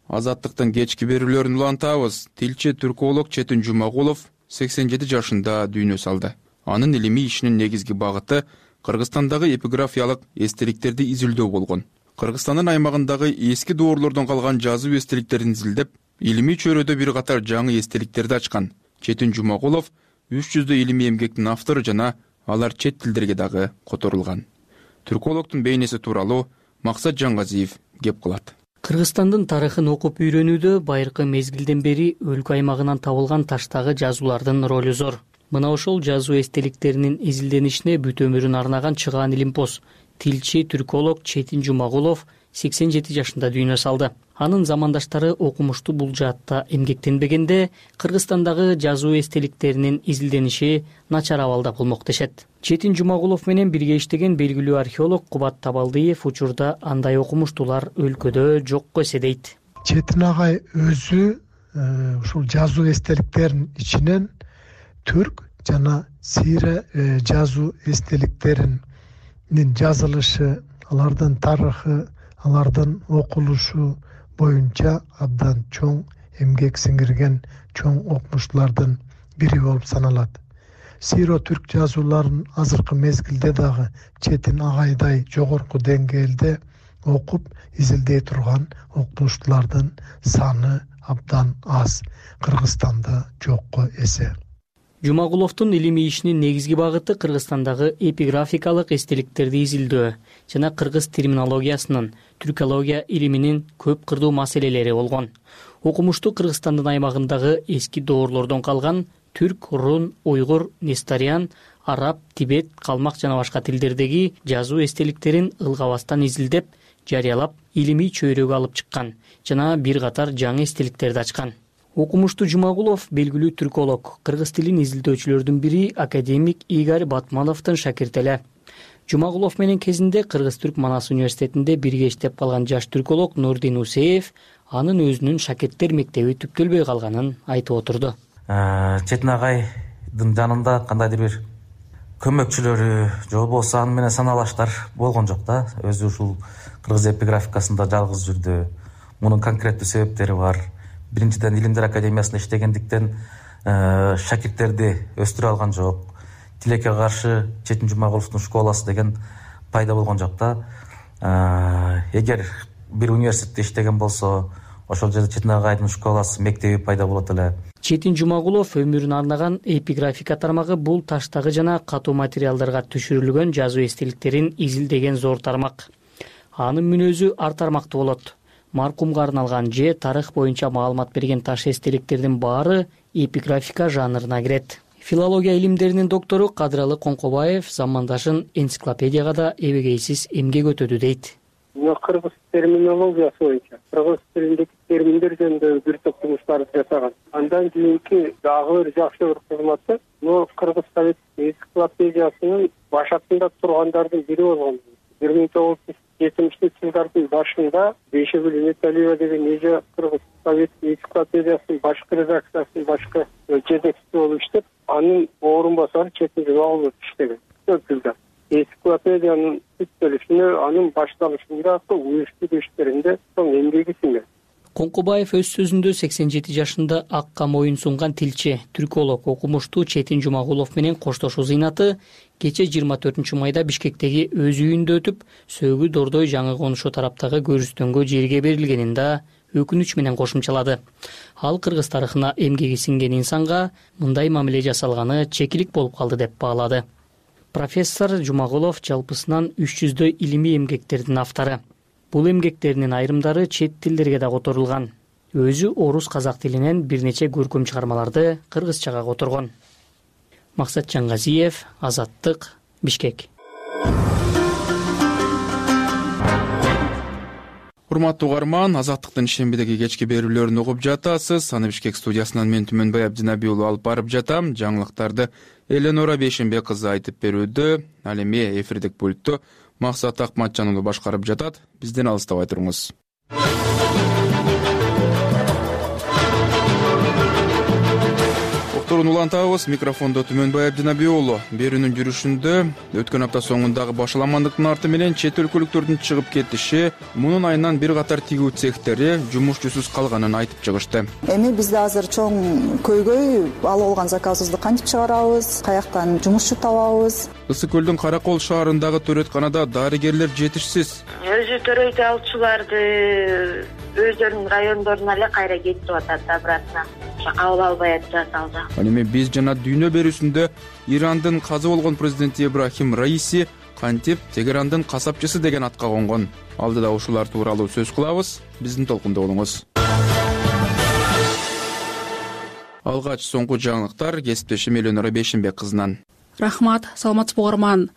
Азаттыктын кечки берүүлөрүн улантабыз. Тилчи түрколог Четин Жумагулов 87 жашында дүйнө салды. Анын илимий ишинин негизги багыты Кыргызстандагы эпиграфиялык эстеликтерди изилдөө болгон. Кыргызстандын аймагындагы эски доорлордон калган жазуу эстеликтерин изилдеп, илимий чөйрөдө бир катар жаңы эстеликтерди ачкан. Четин Жумагулов 300 илимий эмгектин автору жана алар чет тилдерге дагы которулган. Түркологдун бейнеси тууралуу Максат Жаңгазиев кеп кылат. Кыргызстандын тарыхын окуп үйрөнүүдө байыркы мезгилден бери өлкө аймагынан табылган таштагы жазуулардын ролу зор. Мына ошол жазуу эстеликтеринин изилденишине бүт өмүрүн арнаган чыгаан илимпоз тилчи түрколог Четин Жумагулов 87 жашында дүйнө салды. Анын замандаштары окумуштуу бул жаатта эмгектенбегенде, Кыргызстандагы жазуу эстеликтеринин изилдениши начар абалда болмок дешет. Четин Жумагулов менен бирге иштеген белгилүү археолог Кубат Табалдиев учурда андай окумуштуулар өлкөдө жокко эседейт. Четин агай өзү ушул жазуу эстеликтеринин ичинен түрк жана сийре жазуу эстеликтеринин жазылышы, алардын тарыхы, алардын окулушу боюнча абдан чоң эмгек сиңирген чоң окумуштуулардын бири болуп саналат. Сийро түрк жазууларын азыркы мезгилде дагы Четин агайдай жогорку деңгээлде окуп, изилдей турган окумуштуулардын саны абдан аз. Кыргызстанда жокко эсе. Жумагуловдун илимий ишинин негизги багыты Кыргызстандагы эпиграфикалык эстеликтерди изилдөө жана кыргыз терминологиясынын, түркология илиминин көп кырдуу маселелери болгон. Окумуштуу Кыргызстандын аймагындагы эски доорлордон калган түрк, рун, уйгур, несториан, араб, тибет, калмак жана башка тилдердеги жазуу эстеликтерин ылгабастан изилдеп, жарыялап, илимий чөйрөгө алып чыккан жана бир катар жаңы эстеликтерди ачкан. Окумуштуу Жумагулов белгилүү түрколог, кыргыз тилин изилдөөчүлөрдүн бири академик Игорь Батмановдун шакирти эле. Жумагулов менен кезинде Кыргыз-Түрк Манас университетинде бирге иштеп калган жаш түрколог Нурдин Усеев анын өзүнүн шакирттер мектеби түптөлбөй калганын айтып отурду. Четин агайдын жанында кандайдыр бир көмөкчүлөрү же болбосо аны менен саналаштар болгон жок да. Өзү ушул кыргыз эпиграфикасында жалгыз жүрдү. Мунун конкреттүү себептери бар. Биринчиден Илимдер академиясында иштегендиктен шакирттерди өстүрө алган жок. Тилекке каршы Четин Жумагуловдун школасы деген пайда болгон жок да. Эгер бир университетте иштеген болсо, ошол жерде Четин агайдын школасы, мектеби пайда болот эле. Четин Жумагулов өмүрүн арнаган эпиграфика тармагы бул таштагы жана катуу материалдарга түшүрүлгөн жазуу эстеликтерин изилдеген зор тармак. Анын мүнөзү ар тармактуу болот. Маркумга арналган же тарых боюнча маалымат берген таш эстеликтердин баары эпиграфика жанрына кирет. Филология илимдеринин доктору Кадыралы Коңкобаев замандашын энциклопедияга да эбегейсиз эмгек өтөдү дейт. Кыргыз терминологиясы боюнча кыргыз тилиндеги терминдер жөнүндө бир топ жумуштарды жасаган. Андан кийинки дагы бир жакшы бир кызматы Кыргыз совет энциклопедиясынын башатында тургандардын бири болгон. 1970-жылдардын башында Бейшегүл Металиева деген эже Кыргыз совет энциклопедиясынын башкы редакциясынын башкы жетекчиси болуп иштеп, анын орун басары Четин Жумагулов иштеген. Көп жылдар. Энциклопедиянын түптөлүшүнө, анын башталышында уюштуу иштеринде чоң эмгеги сиңген. Коңкобаев өз сөзүндө 87 жашында акка моюн сунган тилчи, түрколог, окумуштуу Четин Жумагулов менен коштошуу зыйнаты кечээ 24 майда Бишкектеги өз үйүндө өтүп, Сөөгү Дордой жаңы конушу тараптагы көрүстөнгө жерге берилгенин да өкүнүч менен кошумчалады. Ал кыргыз тарыхына эмгеги сиңген инсанга мындай мамиле жасалганы чекилик болуп калды деп баалады. Профессор Жумагулов жалпысынан 300дөй илимий эмгектердин автору. Бул эмгектеринин айрымдары чет тилдерге да которулган. Өзү орус казак тилинен бир нече көркөм чыгармаларды кыргызчага которгон. Максат Жаңгазиев, Азаттык, Бишкек. Урматтуу угарман, Азаттыктын шембидеги кечки берүүлөрүн угуп жатасыз. Аны Бишкек студиясынан мен Түмөнбай Абдинабий уулу алып барып жатам. Жаңылыктарды Эленора Бейшенбек кызы айтып берүүдө, ал эми эфирдик пультту Максат Акматжан уулу башкарып жатат. Бизден алыстабай туруңуз. Уктурууну улантабыз. Микрофондо Түмөнбай Абдинабий уулу. Берүүнүн жүрүшүндө өткөн апта соңундагы башаламандыктын арты менен чет өлкөлүктөрдүн чыгып кетиши, мунун айынан бир катар тигүү цехтери жумушчусуз калганын айтып чыгышты. Эми бизде азыр чоң көйгөй, алып алган заказыбызды кантип чыгарабыз, каяктан жумушчу табабыз? Ысык көлдүн Каракол шаарындагы төрөтканада дарыгерлер жетишсиз. Өзү төрөйт алчуларды өздөрүнүн райондоруна эле кайра кетип атат обратно. Кабыл албай атат алда. Ал эми биз жана дүйнө берүүсүндө Ирандын казы болгон президенти Ибрахим Раиси кантип Тегерандын касапчысы деген атка конгон. Алдыда ушулар тууралуу сөз кылабыз. Биздин толкунда болуңуз. Алгач соңку жаңылыктар кесиптешим Эленора Бейшенбек кызынан. Рахмат, саламатсызбы угарман.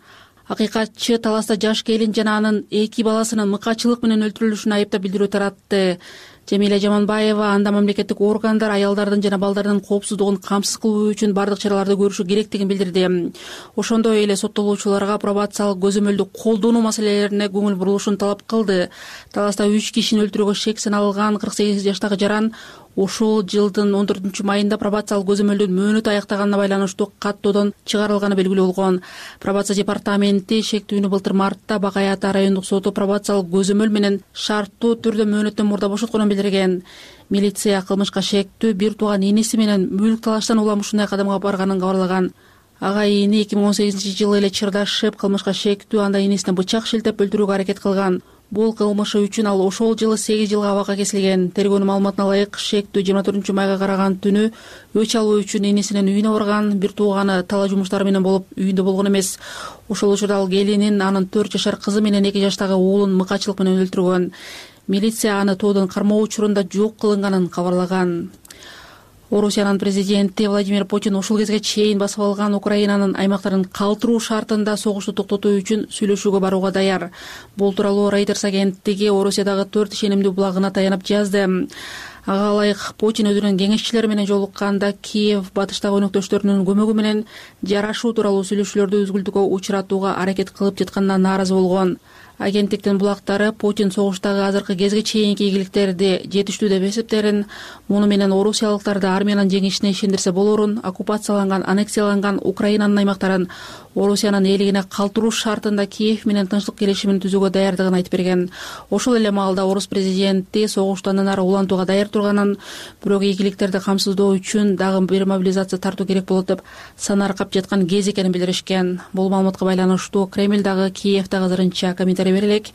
Акыйкатчы таласта жаш келин жана анын 2 баласынын мыкачылык менен өлтүрүлүшүн айыптап билдирүү таратты. Жемиле Жаманбаева анда мамлекеттик органдар аялдардын жана балдардын коопсуздугун камсыз кылуу үчүн бардык чараларды көрүшү керектигин билдирди. Ошондой эле соттолуучуларга пробациялык көзөмөлдү колдонуу маселелерине көңүл бурулушун талап кылды. Таласта 3 кишини өлтүрүүгө шек саналган 48 жаштагы жаран ушул жылдын 14 майында пробациялык көзөмөлдүн мөөнөтү аяктаганына байланыштуу каттоодон чыгарылганы белгилүү болгон. Пробация департаменти шектүүнү былтыр мартта Бакай Ата райондук соту пробациялык көзөмөл менен шарттуу түрдө мөөнөттөн мурда бошотконун билдирген. Милиция кылмышка шектүү бир тууган иниси менен мүлк талаштан улам ушундай кадамга барганын кабарлаган. Ага ини 2018-жылы эле чырдашып, кылмышка шектүү анда инисине бычак шилтеп өлтүрүүгө аракет кылган. Бул кылмышы үчүн ал ошол жылы 8 жылга абакка кесилген. Тергөөнүн маалыматына ылайык, шектүү 24 майга караган түнү өч алуу үчүн инисинин үйүнө барган. Бир тууганы талаа жумуштары менен болуп үйүндө болгон эмес. Ошол учурда ал келинин, анын 4 жашар кызы менен 2 жаштагы уулун мыкачылык менен өлтүргөн. Милиция аны тоодон кармоо учурунда жок кылынганын кабарлаган. Орусиянын президенти Владимир Путин ушул кезге чейин басып алган Украинанын аймактарын калтыруу шартында согушту токтотуу үчүн сүйлөшүүгө барууга даяр. Бул тууралуу Reuters агенттиги Орусиядагы 4 ишенимдүү булагына таянып жазды. Ага ылайык Путин өзүнүн кеңешчилери менен жолукканда Киев батыштагы өнөктөштөрүнүн көмөгү менен жарашуу тууралуу сүйлөшүүлөрдү үзгүлтүккө учуратууга аракет кылып жатканына нааразы болгон. Агенттиктин булактары Путин согуштагы азыркы кезге чейинки ийгиликтерди жетиштүү деп эсептерин, муну менен орусиялыктарды армиянын жеңишине ишендирсе болорун, оккупацияланган, аннексияланган Украинанын аймактарын Орусиянын ээлигине калтыруу шартында Киев менен тынчтык келишимин түзүүгө даярдыгын айтып берген. Ошол эле маалда орус президенти согушту андан ары улантууга даяр турганын, бирок ийгиликтерди камсыздоо үчүн дагы бир мобилизация тартуу керек болот деп санаркап жаткан кез экенин билдиришкен. Бул маалыматка байланыштуу Кремль дагы Киевдагы азырынча комментарий бере элек.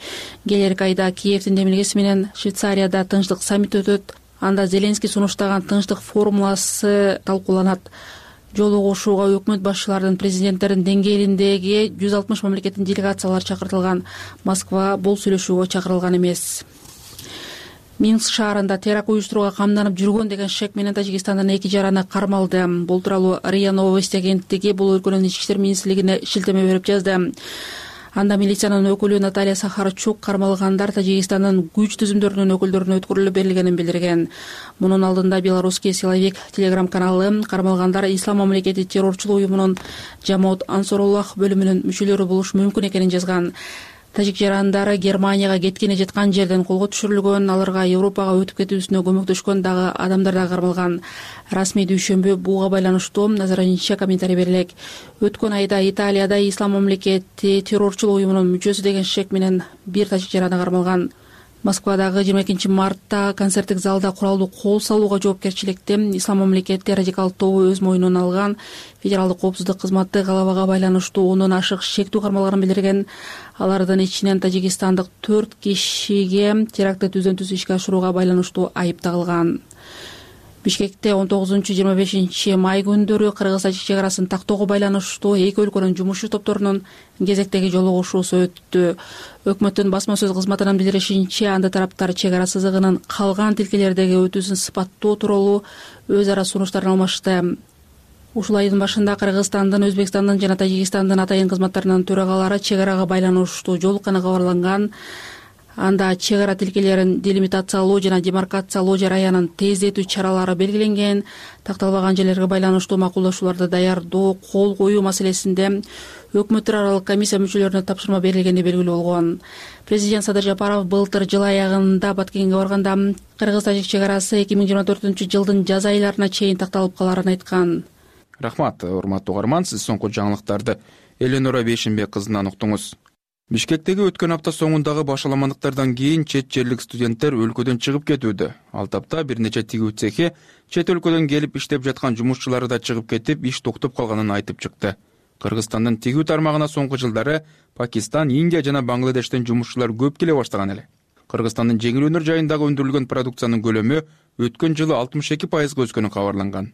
Келерки айда Киевдин демилгеси менен Швейцарияда тынчтык саммити өтөт. Анда Зеленский сунуштаган тынчтык формуласы талкууланат. Жолугушууга өкмөт башчыларынын, президенттердин деңгээлиндеги 160 мамлекеттин делегациялары чакыртылган. Москва бул сүйлөшүүгө чакырылган эмес. Минск шаарында теракт уюштурууга камданып жүргөн деген шек менен Тажикстандын 2 жараны кармалды. Бул тууралуу РИА Новости агенттиги бул өлкөнүн ички иштер министрлигине шилтеме берип жазды. Анда милициянын өкүлү Наталья Сахарчук кармалгандар Тажикстандын күч түзүмдөрүнүн өкүлдөрүнө өткөрүлүп берилгенин билдирген. Мунун алдында Белорусский силовик телеграм-каналы кармалгандар Ислам мамлекети террорчулук уюмунун Жамоат Ансоруллах бөлүмүнүн мүчөлөрү болушу мүмкүн экенин жазган. Тажик жарандары Германияга кеткени жаткан жерден колго түшүрүлгөн, аларга Европага өтүп кетүүсүнө көмөктөшкөн дагы адамдар да кармалган. Расмий дүйшөмбү буга байланыштуу азырынча комментарий берилек. Өткөн айда Италияда Ислам мамлекети террорчулук уюмунун мүчөсү деген шек менен бир тажик жараны кармалган. Москвадагы 22-мартта концерттик залда куралдуу кол салууга жоопкерчиликти Ислам мамлекети радикалдык тобу өз мойнуна алган. Федералдык коопсуздук кызматы галабага байланыштуу 10дон ашык шектүү кармалгарын билдирген. Алардын ичинен тажикстандык 4 кишиге терактты түздөн-түз ишке ашырууга байланыштуу айып тагылган. Бишкекте 19-25 май күндөрү Кыргыз-Тажик чек арасын тактоого байланыштуу эки өлкөнүн жумушчу топторунун кезектеги жолугушуусу өттү. Өкмөттүн басма сөз кызматынын билдиришинче, анда тараптар чек ара сызыгынын калган тилкелердеги өтүүсүн сыпаттоо тууралуу өз ара сунуштарын алмашты. Ушул айдын башында Кыргызстандын, Өзбекстандын жана Тажикстандын атайын кызматтарынын төрагалары чек арага байланыштуу жолукканы кабарланган. Анда чек ара тилкелерин делимитациялоо жана демаркациялоо жараянын тездетүү чаралары белгиленген. Такталбаган жерлерге байланыштуу макулдашууларды даярдоо, кол коюу маселесинде өкмөттөр аралык комиссия мүчөлөрүнө тапшырма берилгени белгилүү болгон. Президент Садыр Жапаров былтыр жыл аягында Баткенге барганда Кыргыз-Тажик чек арасы 2024-жылдын жаз айларына чейин такталып каларын айткан. Рахмат, урматтуу угарман, сиз соңку жаңылыктарды Эленора Бейшенбек кызынан уктуңуз. Бишкектеги өткөн апта соңундагы башаламандыктардан кийин чет жерлик студенттер өлкөдөн чыгып кетүүдө. Ал тапта бир нече тигүү цехи чет өлкөдөн келип иштеп жаткан жумушчулары да чыгып кетип, иш токтоп калганын айтып чыкты. Кыргызстандын тигүү тармагына соңку жылдары Пакистан, Индия жана Бангладештен жумушчулар көп келе баштаган эле. Кыргызстандын жеңил өнөр жайындагы өндүрүлгөн продукциянын көлөмү өткөн жылы 62% өскөнү кабарланган.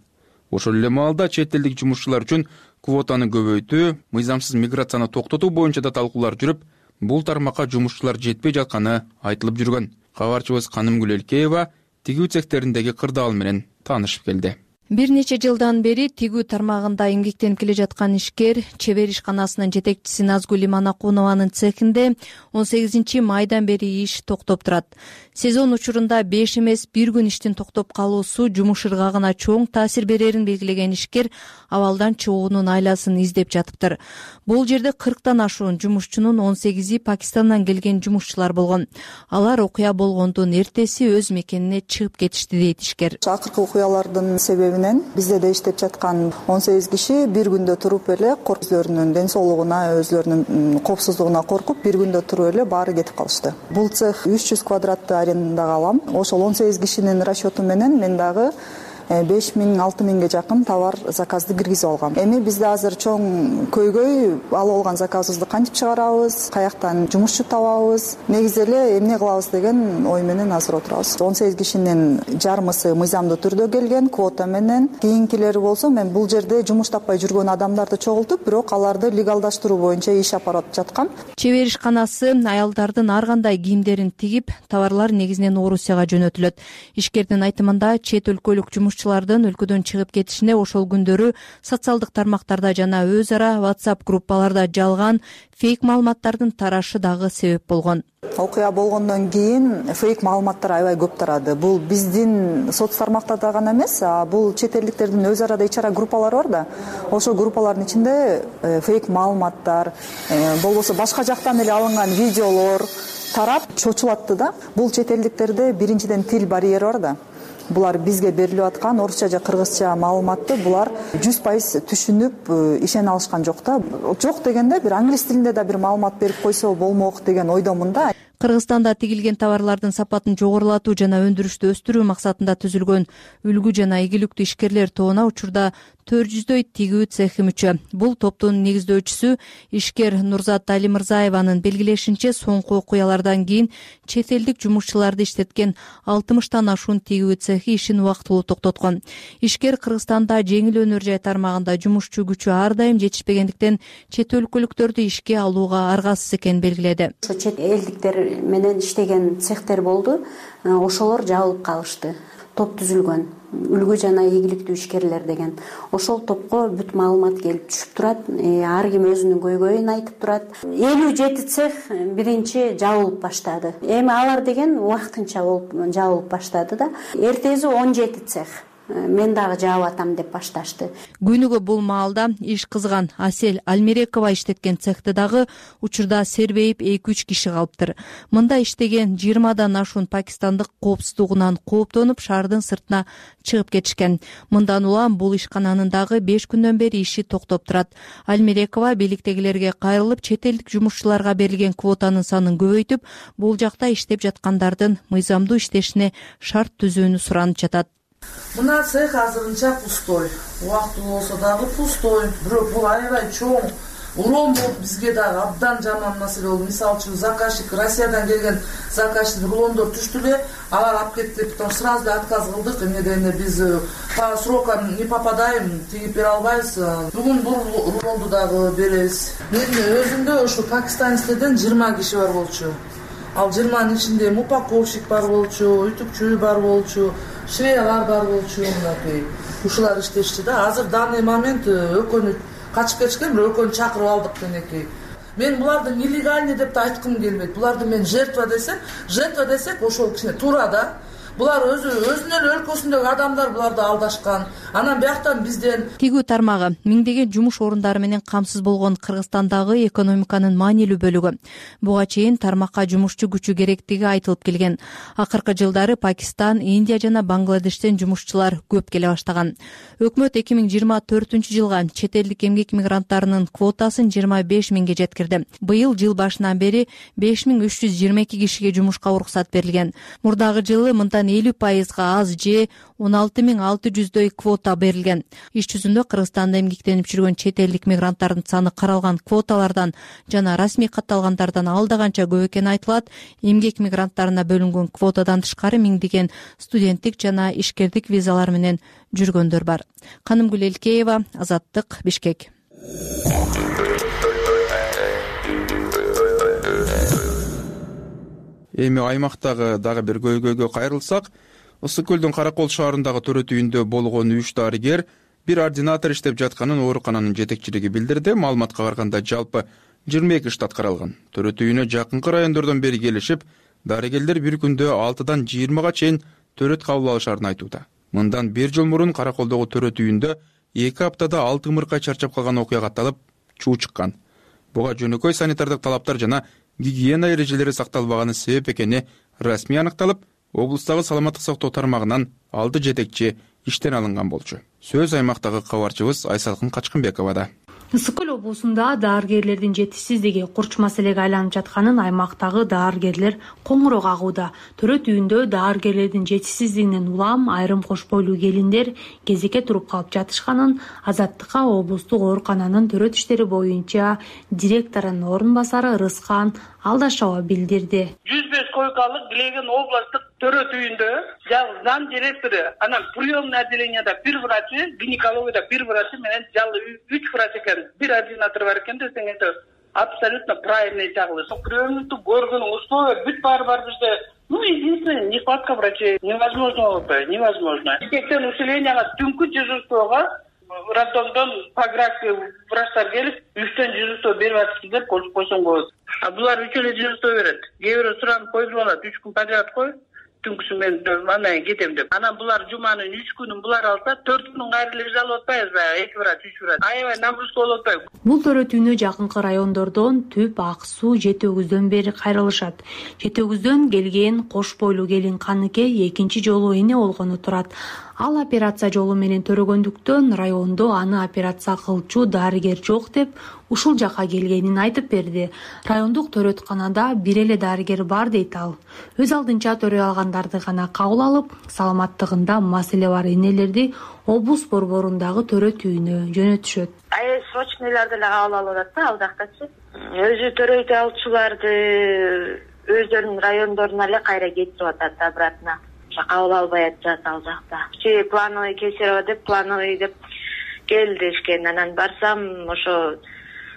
Ошол эле маалда чет элдик жумушчулар үчүн квотаны көбөйтүү, мыйзамсыз миграцияны токтотуу боюнча да талкуулар жүрүп, бул тармакка жумушчулар жетпей жатканы айтылып жүргөн. Кабарчыбыз Канымгүл Элкеева тигүү цехтериндеги кырдаал менен таанышып келди. Бир нече жылдан бери тигүү тармагында эмгектенип келе жаткан ишкер чебер ишканасынын жетекчиси Назгүл Иманакунованын цехинде 18 майдан бери иш токтоп турат. Сезон учурунда 5 эмес 1 күн иштин токтоп калуусу жумуш ыргагына чоң таасир берерин белгилеген ишкер абалдан чыгуунун айласын издеп жатыптыр. Бул жерде 40тан ашуун жумушчунун 18и Пакистандан келген жумушчулар болгон. Алар окуя болгондун эртеси өз мекенине чыгып кетишти дейт ишкер. Акыркы окуялардын себеби бизде де иштеп жаткан 18 киши бир күндө туруп эле өзлөрүнүн ден соолугуна, өзлөрүнүн коопсуздугуна коркуп бир күндө туруп эле баары кетип калышты. Бул цех 300 квадратты арендага алам. Ошол 18 кишинин расчету менен мен дагы 5000-6000ге жакын товар заказды киргизип алгам. Эми бизде азыр чоң көйгөй алып алган заказыбызды кантип чыгарабыз, каяктан жумушчу табабыз, негизи эле эмне кылабыз деген ой менен азыр отурабыз. 18 кишинин жарымысы мыйзамдуу түрдө келген квота менен. Кийинкилери болсо мен бул жерде жумуш таппай жүргөн адамдарды чогултуп, бирок аларды легалдаштыруу боюнча иш апарып жаткам. Чебер ишканасы аялдардын ар кандай кийимдерин тигип, товарлар негизинен Орусияга жөнөтүлөт. Ишкердин айтымында чет өлкөлүк жумушчулардын өлкөдөн чыгып кетишине ошол күндөрү социалдык тармактарда жана өз ара WhatsApp группаларда жалган фейк маалыматтардын тарашы дагы себеп болгон. Окуя болгондон кийин фейк маалыматтар аябай көп тарады. Бул биздин соц тармактарда гана эмес, бул чет элдиктердин өз арада ич ара группалары бар да. Ошол группалардын ичинде фейк маалыматтар, болбосо башка жактан эле алынган видеолор тарап чочулатты да. Бул чет элдиктерде биринчиден тил барьери бар да. Булар бизге берилип аткан орусча же кыргызча маалыматты булар 100% түшүнүп ишене алышкан жок да. Жок дегенде бир англис тилинде да бир маалымат берип койсо болмок деген ойдомун да. Кыргызстанда тигилген товарлардын сапатын жогорулатуу жана өндүрүштү өстүрүү максатында түзүлгөн үлгү жана ийгиликтүү ишкерлер тобуна учурда 400дөй тигүү цехи мүчө. Бул топтун негиздөөчүсү ишкер Нурзат Алимырзаеванын белгилешинче, соңку окуялардан кийин чет элдик жумушчуларды иштеткен 60тан ашуун тигүү цехи ишин убактылуу токтоткон. Ишкер Кыргызстанда жеңил өнөр жай тармагында жумушчу күчү ар дайым жетишпегендиктен чет өлкөлүктөрдү ишке алууга аргасыз экенин белгиледи. Чет элдиктер менен иштеген цехтер болду, ошолор жабылып калышты. Топ түзүлгөн үлгү жана ийгиликтүү ишкерлер деген. Ошол топко бүт маалымат келип түшүп турат. Ар ким өзүнүн көйгөйүн айтып турат. 57 цех биринчи жабылып баштады. Эми алар деген убактынча болуп жабылып баштады да. Эртеси 17 цех мен дагы жаап атам деп башташты. Күнүгө бул маалда иш кызган Асель Альмерекова иштеткен цехте дагы учурда сербейип 2-3 киши калыптыр. Мында иштеген 20дан ашуун пакистандык коопсуздугунан кооптонуп шаардын сыртына чыгып кетишкен. Мындан улам бул ишкананын дагы 5 күндөн бери иши токтоп турат. Альмерекова бийликтегилерге кайрылып, чет элдик жумушчуларга берилген квотанын санын көбөйтүп, бул жакта иштеп жаткандардын мыйзамдуу иштешине шарт түзүүнү суранып жатат. Мына цех азырынча пустой. Убактылуу болсо дагы пустой. Бирок бул аябай чоң урон болуп бизге дагы абдан жаман маселе болду. Мисалы үчүн заказчик Россиядан келген заказчик рулондор түштү эле, алар алып кетти, потом сразу эле отказ кылдык. Эмнеден биз по срокам не попадаем, тигип бере албайбыз. Бүгүн бул рулонду дагы беребиз. Менин өзүмдө ушу Пакистанецтерден 20 киши бар болчу. Ал 20-нын ичинде упаковщик бар болчу, үтүкчү бар болчу, швеялар бар болчу, мынакей. Ушулар иштешти да. Азыр данный момент экөөнү качып кетишкен, бирок экөөнү чакырып алдык менекей. Мен буларды нелегальный деп да айткым келбейт. Буларды мен жертва десек ошол кичине туура да. Булар өзүнүн эле өлкөсүндөгү адамдар буларды алдашкан. Анан бияктан бизден тигүү тармагы миңдеген жумуш орундары менен камсыз болгон Кыргызстандагы экономиканын маанилүү бөлүгү. Буга чейин тармакка жумушчу күчү керектиги айтылып келген. Акыркы жылдары Пакистан, Индия жана Бангладештен жумушчулар көп келе баштаган. Өкмөт 2024-жылга чет элдик эмгек мигранттарынын квотасын 25 миңге жеткирди. Быйыл жыл башынан бери 5322 кишиге жумушка уруксат берилген. Мурдагы жылы мындан 50%-га аз же 16600дөй квота берилген. Иш жүзүндө Кыргызстанда эмгектенип жүргөн чет элдик мигранттардын саны каралган квоталардан жана расмий катталгандардан алдаганча көп экени айтылат. Эмгек мигранттарына бөлүнгөн квотадан тышкары миңдеген студенттик жана ишкердик визалар менен жүргөндөр бар. Канымгүл Элкеева, Азаттык, Бишкек. Эми аймактагы дагы бир көйгөйгө кайрылсак, Ысык көлдүн Каракол шаарындагы төрөт үйүндө болгон 3 дарыгер бир ординатор иштеп жатканын оорукананын жетекчилиги билдирди. Маалыматка караганда жалпы 22 штат каралган. Төрөт үйүнө жакынкы райондордон бери келишип, дарыгерлер бир күндө 6-дан 20га чейин төрөт кабыл алышарын айтууда. Мындан 1 жыл мурун Караколдогу төрөт үйүндө 2 аптада 6 ымыркай чарчап калган окуя катталып, чуу чыккан. Буга жөнөкөй санитардык талаптар жана гигиена эрежелери сакталбаганы себеп экени расмий аныкталып, облустагы саламаттык сактоо тармагынан алды жетекчи иштен алынган болчу. Сөз аймактагы кабарчыбыз Айсалкын Качкынбековада. Ысык көл облусунда дарыгерлердин жетишсиздиги курч маселеге айланып жатканын аймактагы дарыгерлер коңгуроо кагууда. Төрөт үйүндө дарыгерлердин жетишсиздигинен улам айрым кош бойлуу келиндер кезекке туруп калып жатышканын Азаттыкка облустук оорукананын төрөт иштери боюнча директорунун орун басары Рыскан Алдашова билдирди. 105 койкалык Глеген областтык төрөт үйүндө жалгыз зам директору, анан приемный отделенияда 1 врачы, гинекологияда 1 врачы менен жалгыз 3 врач экен, 1 ординатор бар экен десең абсолютно правильный чагылы. Сол приемныйды көргөн условия бүт бар бизде. Единственное, нехватка врачей. Невозможно болуп, невозможно. Кечен усиленияга түнкү дежурствого роддомдон по графике врачтар келип, 3төн дежурство берип атышты деп койсоң болот. А булар 3 эле дежурство берет. Кээ бирөө суранып койдуруп алат, 3 күн подряд кой. Түнкүсү мен андан кетем деп. Анан булар жуманын 3 күнүн булар алса, 4 күнүн кайрылып эле алып атпайбызбы? 2 врач, 3 врач. Аябай нагрузка болуп атпайбы? Бул төрөт үйүнө жакынкы райондордон Түп, Ак Суу, Жети Өгүздөн бери кайрылышат. Жети Өгүздөн келген кош бойлуу келин Каныке экинчи жолу эне болгону турат. Ал операция жолу менен төрөгөндүктөн райондо аны операция кылчу дарыгер жок деп ушул жака келгенин айтып берди. Райондук төрөтканада бир эле дарыгер бар дейт ал. Өз алдынча төрөй алгандарды гана кабыл алып, саламаттыгында маселе бар энелерди облус борборундагы төрөт үйүнө жөнөтүшөт. Срочныйларды эле кабыл алып атат да ал жактачы. Өзү төрөйт алчуларды өздөрүнүн райондоруна эле кайра кетирип атат обратно. Кабыл албай атат ал жакта. Плановый Кесарево деп, плановый деп келдишкен. Анан барсам, ошо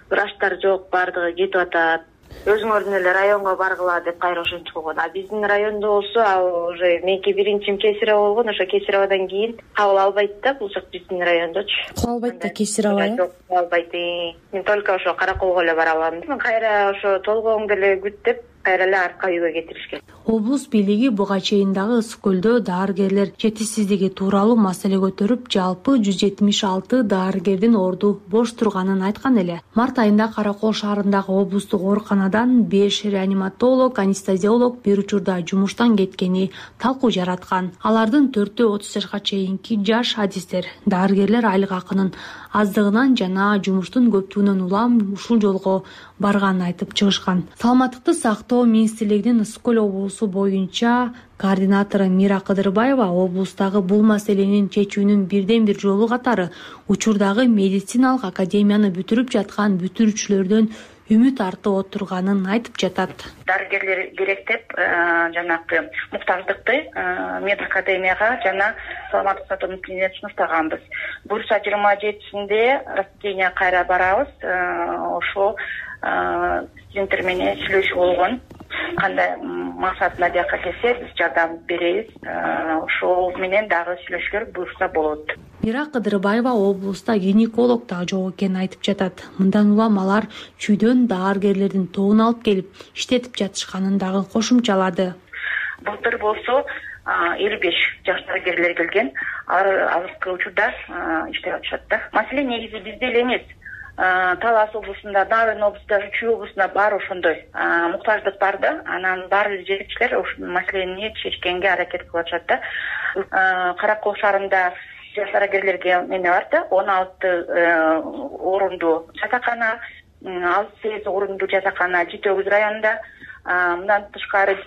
врачтар жок, бардыгы кетип атат. Өзүңөрдүн эле районго баргыла деп кайра ошентип койгон. А биздин райондо болсо, ал уже меники биринчим Кесарево болгон, ошо Кесареводон кийин кабыл албайт да, бул жак биздин райондочу. Кабыл албайт да Кесарево. Жок, кабыл албайт. Мен только ошо Караколго эле бара алам. Кайра ошо толгооңду эле күт деп кайра эле артка үйгө кетиришкен. Облус бийлиги буга чейин дагы ысык көлдө даарыгерлер жетишсиздиги тууралуу маселе көтөрүп, жалпы 176 даарыгердин орду бош турганын айткан эле. Март айында Каракол шаарындагы облустук ооруканадан 5 реаниматолог, анестезиолог бир учурда жумуштан кеткени талкуу жараткан. Алардын 4-өө 30 жашка чейинки жаш адистер. Даарыгерлер айлык акынын аздыгынан жана жумуштун көптүгүнөн улам ушул жолго барганын айтып чыгышкан. Саламаттыкты сактоо министрлигинин Ысык көл облусу боюнча координатору Мира Кыдырбаева облустагы бул маселенин чечүүнүн бирден бир жолу катары учурдагы медициналык академияны бүтүрүп жаткан бүтүрүүчүлөрдөн үмүт артып отурганын айтып жатат. Дарыгерлер керек деп жанагы муктаждыкты медакадемияга жана саламаттык сактоо мекемесине сунуштаганбыз. Буюрса 27-синде распределение кайра барабыз. Ошол студенттер менен сүйлөшүү болгон. Кандай максатында жакка келсе биз жардам беребиз. Ошол менен дагы сүйлөшүүлөр буюрса болот. Мира Кыдырбаева облуста гинеколог да жок экенин айтып жатат. Мындан улам алар чүйдөн даарыгерлердин тобун алып келип иштетип жатышканын дагы кошумчалады. Былтыр болсо 55 жаш дарыгерлер келген. Алар азыркы учурда иштеп атышат да. Маселе негизи бизде эле эмес. Талас облусунда, Нарын облусунда, Чүй облусунда бар ошондой муктаждык бар да. Анан баардык жетекчилер ушул маселени чечкенге аракет кылып атышат да. Каракол шаарында жаш дарыгерлерге эме бар да, 16 орундуу жатакана, 68 орундуу жатакана Жетөгүз районунда. Мындан тышкары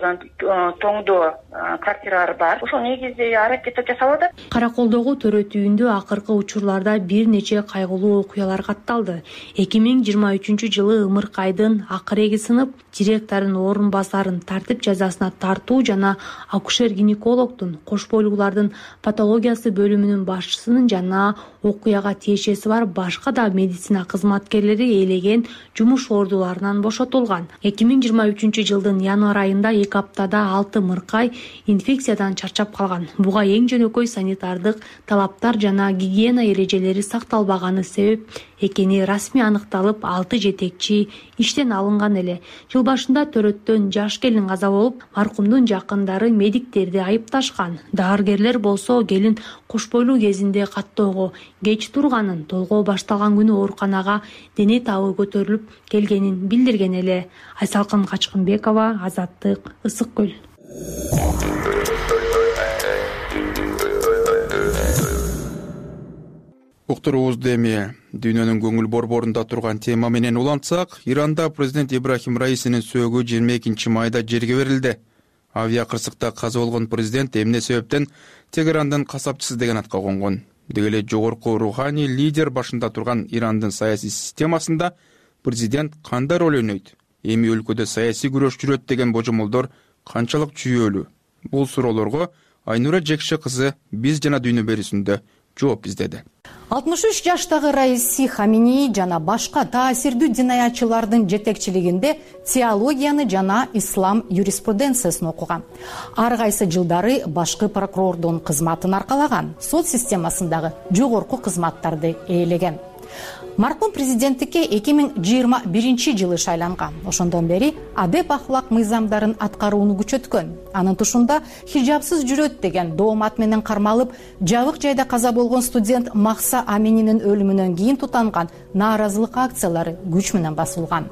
тоңдо квартиралар бар. Ошол негизи аракет жасалат. Караколдогу төрөт үйүндө акыркы учурларда бир нече кайгылуу окуялар катталды. 2023 жылы ымыркайдын акыреги сынып, директордун орун басарын тартип жазасына тартуу жана акушер-гинекологдун кош бойлуулардын патологиясы бөлүмүнүн башчысынын жана окуяга тиешеси бар башка да медицина кызматкерлери ээлеген жумуш ордуларынан бошотулган. 2023 жылдын январь айында 2 аптада 6 мыркай инфекциядан чарчап калган. Буга эң жөнөкөй санитардык талаптар жана гигиена эрежелери сакталбаганы себеп экени расмий аныкталып, 6 жетекчи иштен алынган эле. Жыл башында төрөттөн жаш келин каза болуп, маркумдун жакындары медиктерди айыпташкан. Даарыгерлер болсо келин кош бойлуу кезинде каттоого кеч турганын, толгоо башталган күнү ооруканага дене табы көтөрүлүп келгенин билдирген эле. Айсалкын Качкынбекова, Азаттык, Ысык көл. Уктуруубузду эми дүйнөнүн көңүл борборунда турган тема менен улантсак, Иранда президент Ибрахим Раисинин сөөгү 22 майда жерге берилди. Авиа кырсыкта каза болгон президент эмне себептен Тегерандын касапчысы деген атка конгон. Деги эле жогорку руханий лидер башында турган Ирандын саясий системасында президент кандай роль ойнойт? Эми өлкөдө саясий күрөш жүрөт деген божомолдор канчалык жүйөлүү? Бул суроолорго Айнура Жекше кызы Биз жана дүйнө берүүсүндө жооп издеди. 63 жаштагы Раиси Хаминеи жана башка таасирдүү динаятчылардын жетекчилигинде теологияны жана ислам юриспруденциясын окуган. Ар кайсы жылдары башкы прокурордун кызматын аркалаган, сот системасындагы жогорку кызматтарды ээлеген. Маркум президенттикке 2021 жылы шайланган. Ошондон бери адеп ахлак мыйзамдарын аткарууну күчөткөн. Анын тушунда хижабсыз жүрөт деген доомат менен кармалып, жабык жайда каза болгон студент Махса Амининин өлүмүнөн кийин тутанган нааразылык акциялары күч менен басылган.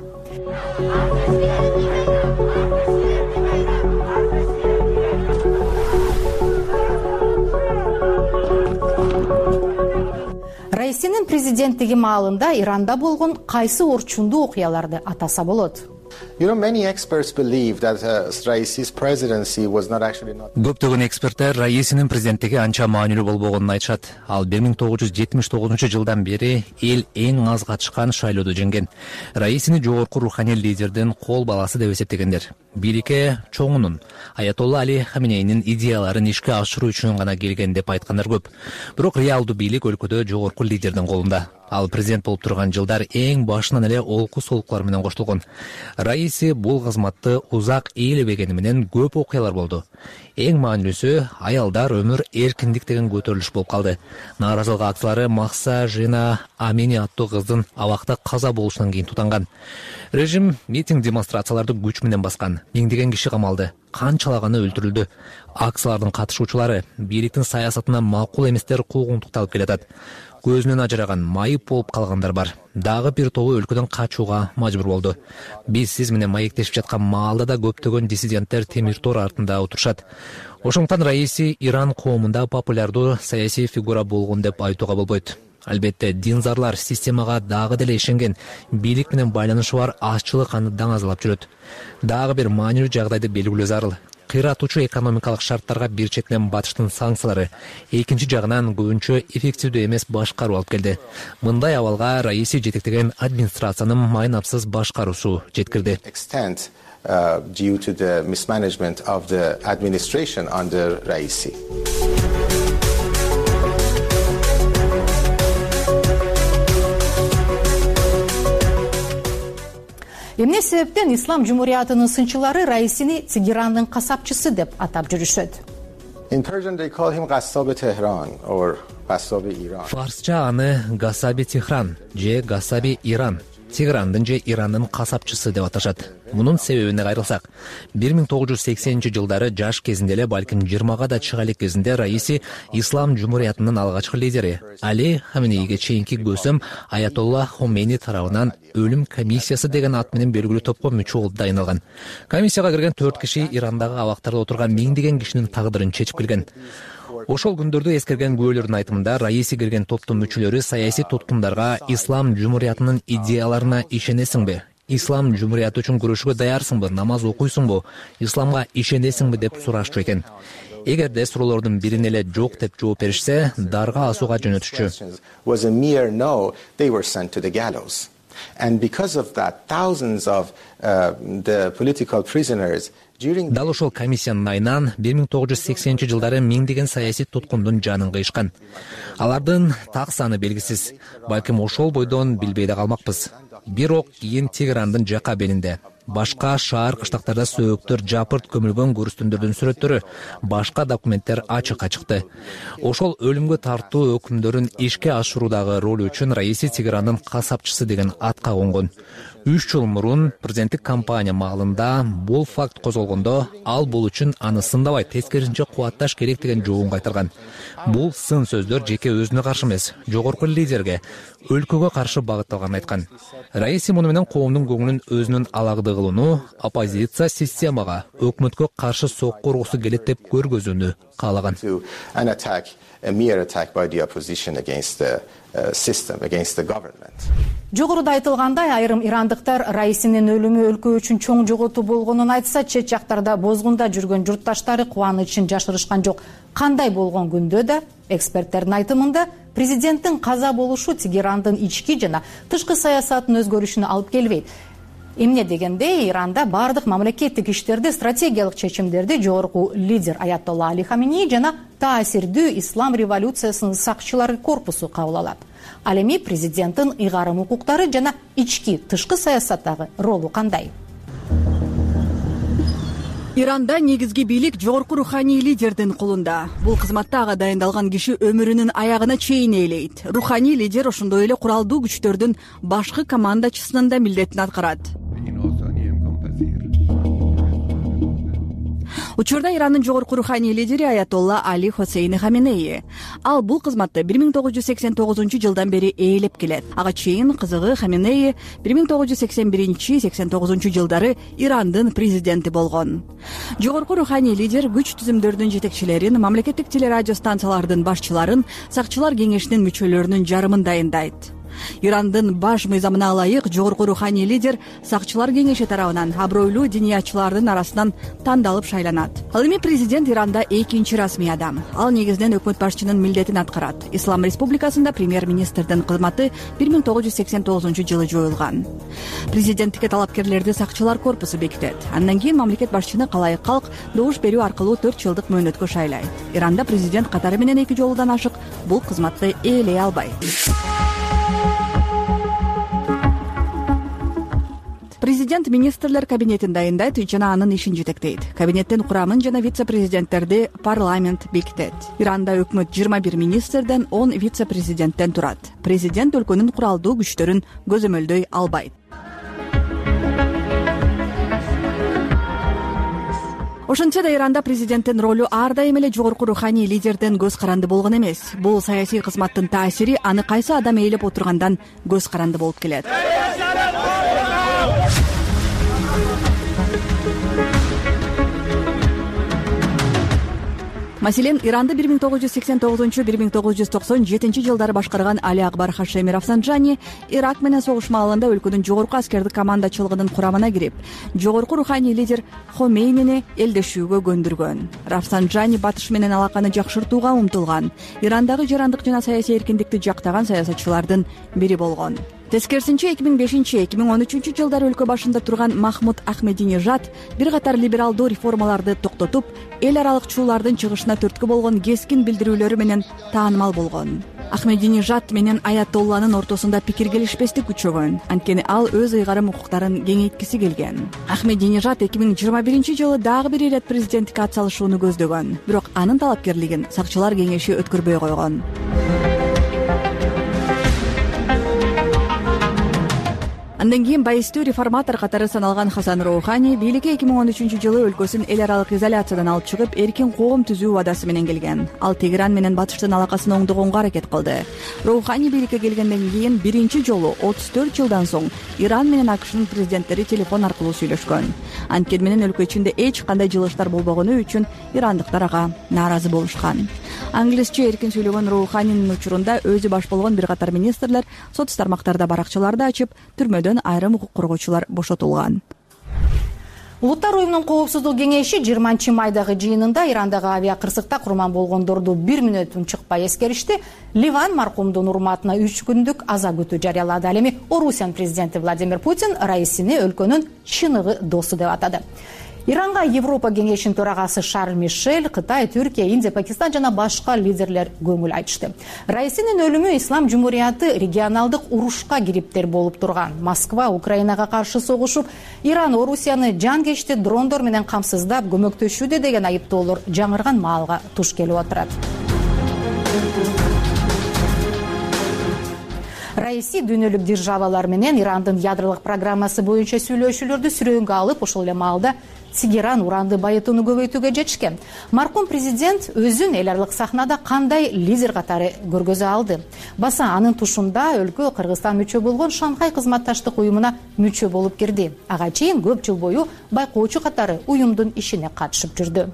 Раисинин президенттиги маалында Иранда болгон кайсы орчундуу окуяларды атаса болот? Көптөгөн эксперттер Раисинин президенттиги анча маанилүү болбогонун айтышат. Ал 1979 жылдан бери эл эң аз катышкан шайлоодо жеңген. Раисини жогорку руханий лидердин кол баласы деп эсептегендер. Бийликке чоңунун Аятолла Али Хаминейнин идеяларын ишке ашыруу үчүн гана келген деп айткандар көп. Бирок реалдуу бийлик өлкөдө жогорку лидердин колунда. Ал президент болуп турган жылдар эң башынан эле олку солуклар менен коштолгон. Раиси Раиси бул кызматты узак ээлебегени менен көп окуялар болду. Эң маанилүүсү аялдар өмүр эркиндик деген көтөрүлүш болуп калды. Нааразылык акциялары Махса Жина Амини аттуу кыздын абакта каза болушунан кийин тутанган. Режим митинг демонстрацияларды күч менен баскан. Миңдеген киши камалды. Канчалаганы өлтүрүлдү. Акциялардын катышуучулары бийликтин саясатына макул эместер куугунтукталып келатат. Көзүнөн ажыраган, майып болуп калгандар бар. Дагы бир тобу өлкөдөн качууга мажбур болду. Биз сиз менен маектешип жаткан маалда да көптөгөн диссиденттер темир тор артында отурушат. Ошондуктан Раиси Иран коомунда популярдуу саясий фигура болгон деп айтууга болбойт. Албетте, динзарлар системага дагы деле ишенген, бийлик менен байланышы бар азчылык аны даңазалап жүрөт. Дагы бир маанилүү жагдайды белгилөө зарыл. Кыйратуучу экономикалык шарттарга бир четинен батыштын санкциялары, экинчи жагынан көбүнчө эффективдүү эмес башкаруу алып келди. Мындай абалга Раиси жетектеген администрациянын майнапсыз башкаруусу жеткирди. Due to the mismanagement of the administration under Raisi. Эмне себептен Ислам жумуриятынын сынчылары Раисини Тегерандын касапчысы деп атап жүрүшөт? In Persian they call him Ghassabi Tehran or Ghassabi Iran. Фарсча аны Гассаби Техран же Гассаби Иран, Тегерандын же Ирандын касапчысы деп аташат. Мунун себебине кайрылсак, 1980-жылдары жаш кезинде эле, балким 20-га да чыга элек кезинде Раиси Ислам жумуриятынын алгачкы лидери Али Хаминейге чейинки көсөм Аятолла Хомейни тарабынан өлүм комиссиясы деген ат менен белгилүү топко мүчө болуп дайындалган. Комиссияга кирген 4 киши Ирандагы абактарда отурган миңдеген кишинин тагдырын чечип келген. Ошол күндөрдү эскерген күбөлөрдүн айтымында Раиси кирген топтун мүчөлөрү саясий туткундарга Ислам жумуриятынын идеяларына ишенесиңби? Ислам жумурияты үчүн күрөшүүгө даярсыңбы? Намаз окуйсуңбу? Исламга ишенесиңби деп сурашчу экен. Эгерде суроолордун бирине эле жок деп жооп беришсе, дарга асууга жөнөтүшчү. Was a mere no, they were sent to the gallows. And because of that, thousands of the political prisoners Дал ошол комиссиянын айынан 1980-жылдары миңдеген саясий туткундун жанын кыйышкан. Алардын так саны белгисиз. Балким ошол бойдон билбей да калмакпыз. Бирок кийин Тегерандын жака белинде башка шаар кыштактарда сөөктөр жапырт көмүлгөн көрүстүндөрдүн сүрөттөрү, башка документтер ачыкка чыкты. Ошол өлүмгө тартуу өкүмдөрүн ишке ашыруудагы ролу үчүн Раиси Тегерандын касапчысы деген атка конгон. 3 жыл мурун президенттик кампания маалында бул факт козголгондо, ал бул үчүн аны сындабай тескерисинче кубатташ керек деген жообун кайтарган. Бул сын сөздөр жеке өзүнө каршы эмес, жогорку лидерге, өлкөгө каршы багытталганын айткан. Раиси муну менен коомдун көңүлүн өзүнүн алагды кылууну, оппозиция системага, өкмөткө каршы сокку ургусу келет деп көргөзүүнү каалаган. A mere attack by the opposition against the system, against the government. Жогоруда айтылгандай, айрым ирандыктар Раисинин өлүмү өлкө үчүн чоң жоготуу болгонун айтса, чет жактарда бозгунда жүргөн журтташтары кубанычын жашырышкан жок. Кандай болгон күндө да, эксперттердин айтымында, президенттин каза болушу Тегерандын ички жана тышкы саясатын өзгөрүшүнө алып келбейт. Эмне дегенде, Иранда бардык мамлекеттик иштерди, стратегиялык чечимдерди жогорку лидер Аятолла Али Хаминей жана таасирдүү ислам революциясынын сакчылары корпусу кабыл алат. Ал эми президенттин ыйгарым укуктары жана ички тышкы саясаттагы ролу кандай? Иранда негизги бийлик жогорку руханий лидердин колунда. Бул кызматта ага дайындалган киши өмүрүнүн аягына чейин ээлейт. Руханий лидер ошондой эле куралдуу күчтөрдүн башкы командачысынын да милдетин аткарат. Учурда Ирандын жогорку руханий лидери Аятолла Али Хосейни Хаминей. Ал бул кызматты 1989-жылдан бери ээлеп келет. Ага чейин кызыгы Хаминей 1981-89-жылдары Ирандын президенти болгон. Жогорку руханий лидер күч түзүмдөрдүн жетекчилерин, мамлекеттик телерадио станциялардын башчыларын, сакчылар кеңешинин мүчөлөрүнүн жарымын дайындайт. Ирандын баш мыйзамына ылайык жогорку руханий лидер сакчылар кеңеши тарабынан абройлуу диниятчылардын арасынан тандалып шайланат. Ал эми президент Иранда экинчи расмий адам. Ал негизинен өкмөт башчынын милдетин аткарат. Ислам республикасында премьер-министрдин кызматы 1989-жылы жоюлган. Президенттикке талапкерлерди сакчылар корпусу бекитет. Андан кийин мамлекет башчыны калайык калк добуш берүү аркылуу 4 жылдык мөөнөткө шайлайт. Иранда президент катары менен 2 жолудан ашык бул кызматты ээлей албайт. Президент президент министрлер кабинетин дайындайт жана анын ишин жетектейт. Кабинеттин курамын жана вице-президенттерди парламент бекитет. Иранда өкмөт 21 министрден, 10 вице-президенттен турат. Президент өлкөнүн куралдуу күчтөрүн көзөмөлдөй албайт. Ошентсе да Иранда президенттин ролу ар дайым эле жогорку руханий лидерден көз каранды болгон эмес. Бул саясий кызматтын таасири аны кайсы адам ээлеп отургандан көз каранды болуп келет. Маселен, Иранды 1989-1997 жылдары башкарган Али Акбар Хашеми Рафсанджани Ирак менен согуш маалында өлкөнүн жогорку аскердик командачылыгынын курамына кирип, жогорку руханий лидер Хомейнини элдешүүгө көндүргөн. Рафсанджани батыш менен алаканы жакшыртууга умтулган, Ирандагы жарандык жана саясий эркиндикти жактаган саясатчылардын бири болгон. Тескерисинче 2005-2013 жылдары өлкө башында турган Махмуд Ахмединежад бир катар либералдуу реформаларды токтотуп, эл аралык чуулардын чыгышына түрткү болгон кескин билдирүүлөрү менен таанымал болгон. Ахмединежад менен Аятолланын ортосунда пикир келишпестик күчөгөн, анткени ал өз ыйгарым укуктарын кеңейткиси келген. Ахмединежад 2021 жылы дагы бир ирет президенттикке ат салышууну көздөгөн, бирок анын талапкерлигин сакчылар кеңеши өткөрбөй койгон. Андан кийин байыстуу реформатор катары саналган Хасан Роухани бийликке 2013 жылы өлкөсүн эл аралык изоляциядан алып чыгып, эркин коом түзүү убадасы менен келген. Ал Тегеран менен батыштын алакасын оңдогонго аракет кылды. Роухани бийликке келгенден кийин биринчи жолу 34 жылдан соң Иран менен АКШнын президенттери телефон аркылуу сүйлөшкөн. Анткени менен өлкө ичинде эч кандай жылыштар болбогону үчүн ирандыктар ага нааразы болушкан. Англисче эркин сүйлөгөн Роуханинин учурунда өзү баш болгон бир катар министрлер соц тармактарда баракчаларды ачып, түрмөдөн айрым укук коргоочулар бошотулган. Улуттар уюмунун коопсуздук кеңеши 20 майдагы жыйынында Ирандагы авиакырсыкта курман болгондорду 1 мүнөт унчукпай эскеришти. Ливан маркумдун урматына 3 күндүк аза күтүү жарыялады. Ал эми Орусиянын президенти Владимир Путин Раисини өлкөнүн чыныгы досу деп атады. Иранга Европа кеңешинин төрагасы Шарль Мишель, Кытай, Түркия, Индия, Пакистан жана башка лидерлер көңүл айтышты. Раисинин өлүмү Ислам жумурияты регионалдык урушка кириптер болуп турган. Москва Украинага каршы согушуп, Иран Орусияны жанкечти дрондор менен камсыздап көмөктөшүүдө деген айыптоолор жаңырган маалга туш келип отурат. Раиси дүйнөлүк державалар менен Ирандын ядролук программасы боюнча сүйлөшүүлөрдү сүрөөнгө алып, ошол эле маалда Тегеран уранды байытууну көбөйтүүгө жетишкен. Маркум президент өзүн эл аралык сахнада кандай лидер катары көргөзө алды. Баса анын тушунда өлкө Кыргызстан мүчө болгон Шанхай кызматташтык уюмуна мүчө болуп кирди. Ага чейин көп жыл бою байкоочу катары уюмдун ишине катышып жүрдү.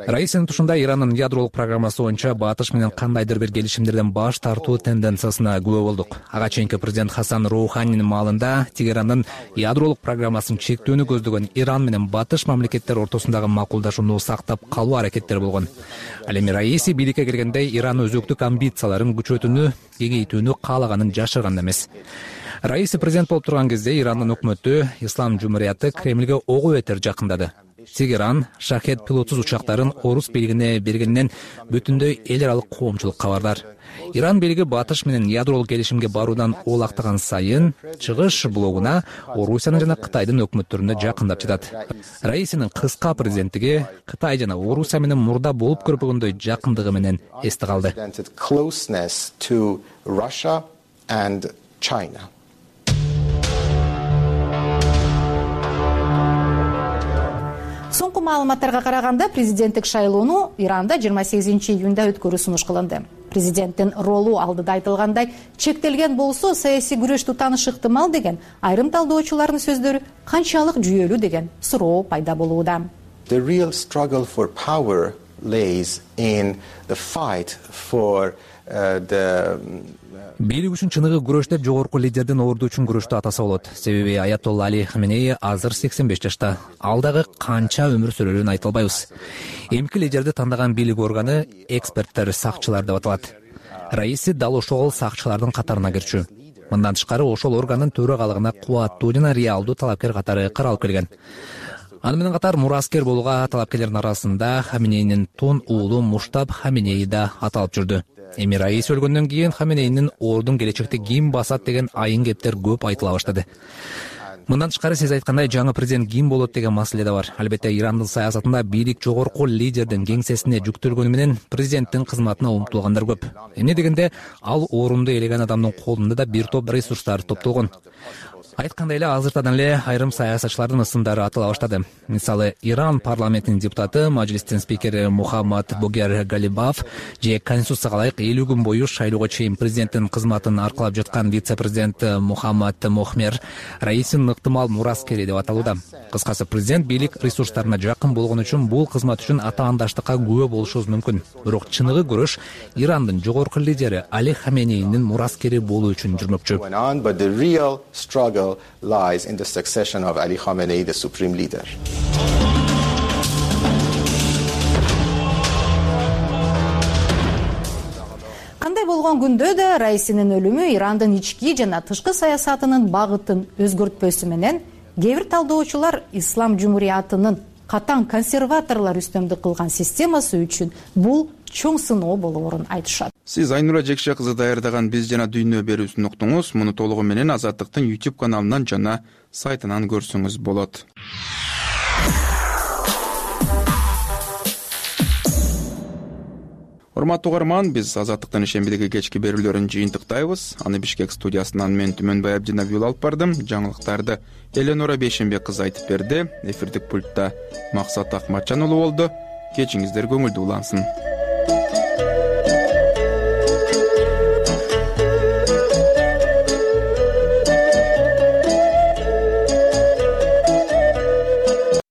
Раисинин тушунда Ирандын ядролук программасы боюнча батыш менен кандайдыр бир келишимдерден баш тартуу тенденциясына күбө болдук. Ага чейинки президент Хасан Роуханинин маалында Тегерандын ядролук программасын чектөөнү көздөгөн Иран менен батыш мамлекеттер ортосундагы макулдашууну сактап калуу аракеттери болгон. Ал эми Раиси бийликке келгенде Иран өзөктүк амбицияларын күчөтүүнү, кеңейтүүнү каалаганын жашырган эмес. Раиси президент болуп турган кезде Ирандын өкмөтү Ислам жумурияты Кремлге ого бетер жакындады. Тегеран Шахед пилотсуз учактарын орус бийлигине бергенинен бүтүндөй эл аралык коомчулук кабардар. Иран бийлиги батыш менен ядролук келишимге баруудан оолактаган сайын чыгыш блогуна Орусиянын жана Кытайдын өкмөттөрүнө жакындап жатат. Раисинин кыска президенттиги Кытай жана Орусия менен мурда болуп көрбөгөндөй жакындыгы менен эсте калды. Соңку маалыматтарга караганда президенттик шайлоону Иранда 28 июнда өткөрүү сунуш кылынды. Президенттин ролу алдыда айтылгандай чектелген болсо саясий күрөштү тааныш ыктымал деген айрым талдоочулардын сөздөрү канчалык жүйөлүү деген суроо пайда болууда. The real struggle for power lays in the fight for бийлик үчүн чыныгы күрөш деп жогорку лидердин орду үчүн күрөштү атаса болот. Себеби Аятолла Али Хаменеи азыр 85 жашта. Ал дагы канча өмүр сүрөрүн айта албайбыз. Эмки лидерди тандаган бийлик органы эксперттер, сакчылар деп аталат. Раиси дал ошол сакчылардын катарына кирчү. Мындан тышкары ошол органдын төрагалыгына кубаттуу жана реалдуу талапкер катары каралып келген. Аны менен катар мураскер болууга талапкерлердин арасында Хаменейнин тун уулу Муштаб Хаменеи да аталып жүрдү. Эми Раиси өлгөндөн кийин Хаменейнин ордун келечекте ким басат деген айын кептер көп айтыла баштады. Мындан тышкары сиз айткандай жаңы президент ким болот деген маселе да бар. Албетте Ирандын саясатында бийлик жогорку лидердин кеңсесине жүктөлгөнү менен президенттин кызматына умтулгандар көп. Эмне дегенде ал орунду ээлеген адамдын колунда да бир топ ресурстар топтолгон. Айткандай эле азыртадан эле айрым саясатчылардын ысымдары атыла баштады. Мисалы, Иран парламентинин депутаты, мажлистин спикери Мухаммад Богер Галибаф же конституцияга ылайык 50 күн бою шайлоого чейин президенттин кызматын аркалап жаткан вице-президент Мухаммад Мохмер Раисинин ыктымал мураскери деп аталууда. Кыскасы, президент бийлик ресурстарына жакын болгон үчүн бул кызмат үчүн атаандаштыкка күбө болушубуз мүмкүн. Бирок чыныгы күрөш Ирандын жогорку лидери Али Хаменейнин мураскери болуу үчүн жүрмөкчү. Lies in the succession of Ali Khamenei, the supreme leader. Кандай болгон күндө да Раисинин өлүмү Ирандын ички жана тышкы саясатынын багытын өзгөртпөсү менен кээ бир талдоочулар ислам жумуриятынын катаң консерваторлор үстөмдүк кылган системасы үчүн бул чоң сыноо болоорун айтышат. Сиз Айнура Жекше кызы даярдаган Биз жана дүйнө берүүсүн уктуңуз. Муну толугу менен Азаттыктын YouTube каналынан жана сайтынан көрсөңүз болот. Урматтуу угарман, биз Азаттыктын ишембидеги кечки берүүлөрүн жыйынтыктайбыз. Аны Бишкек студиясынан мен Түмөнбай Абдинабиул алып бардым. Жаңылыктарды Эленора Бейшембек кызы айтып берди. Эфирдик пультта Максат Акматжан уулу болду. Кечиңиздер көңүлдүү улансын.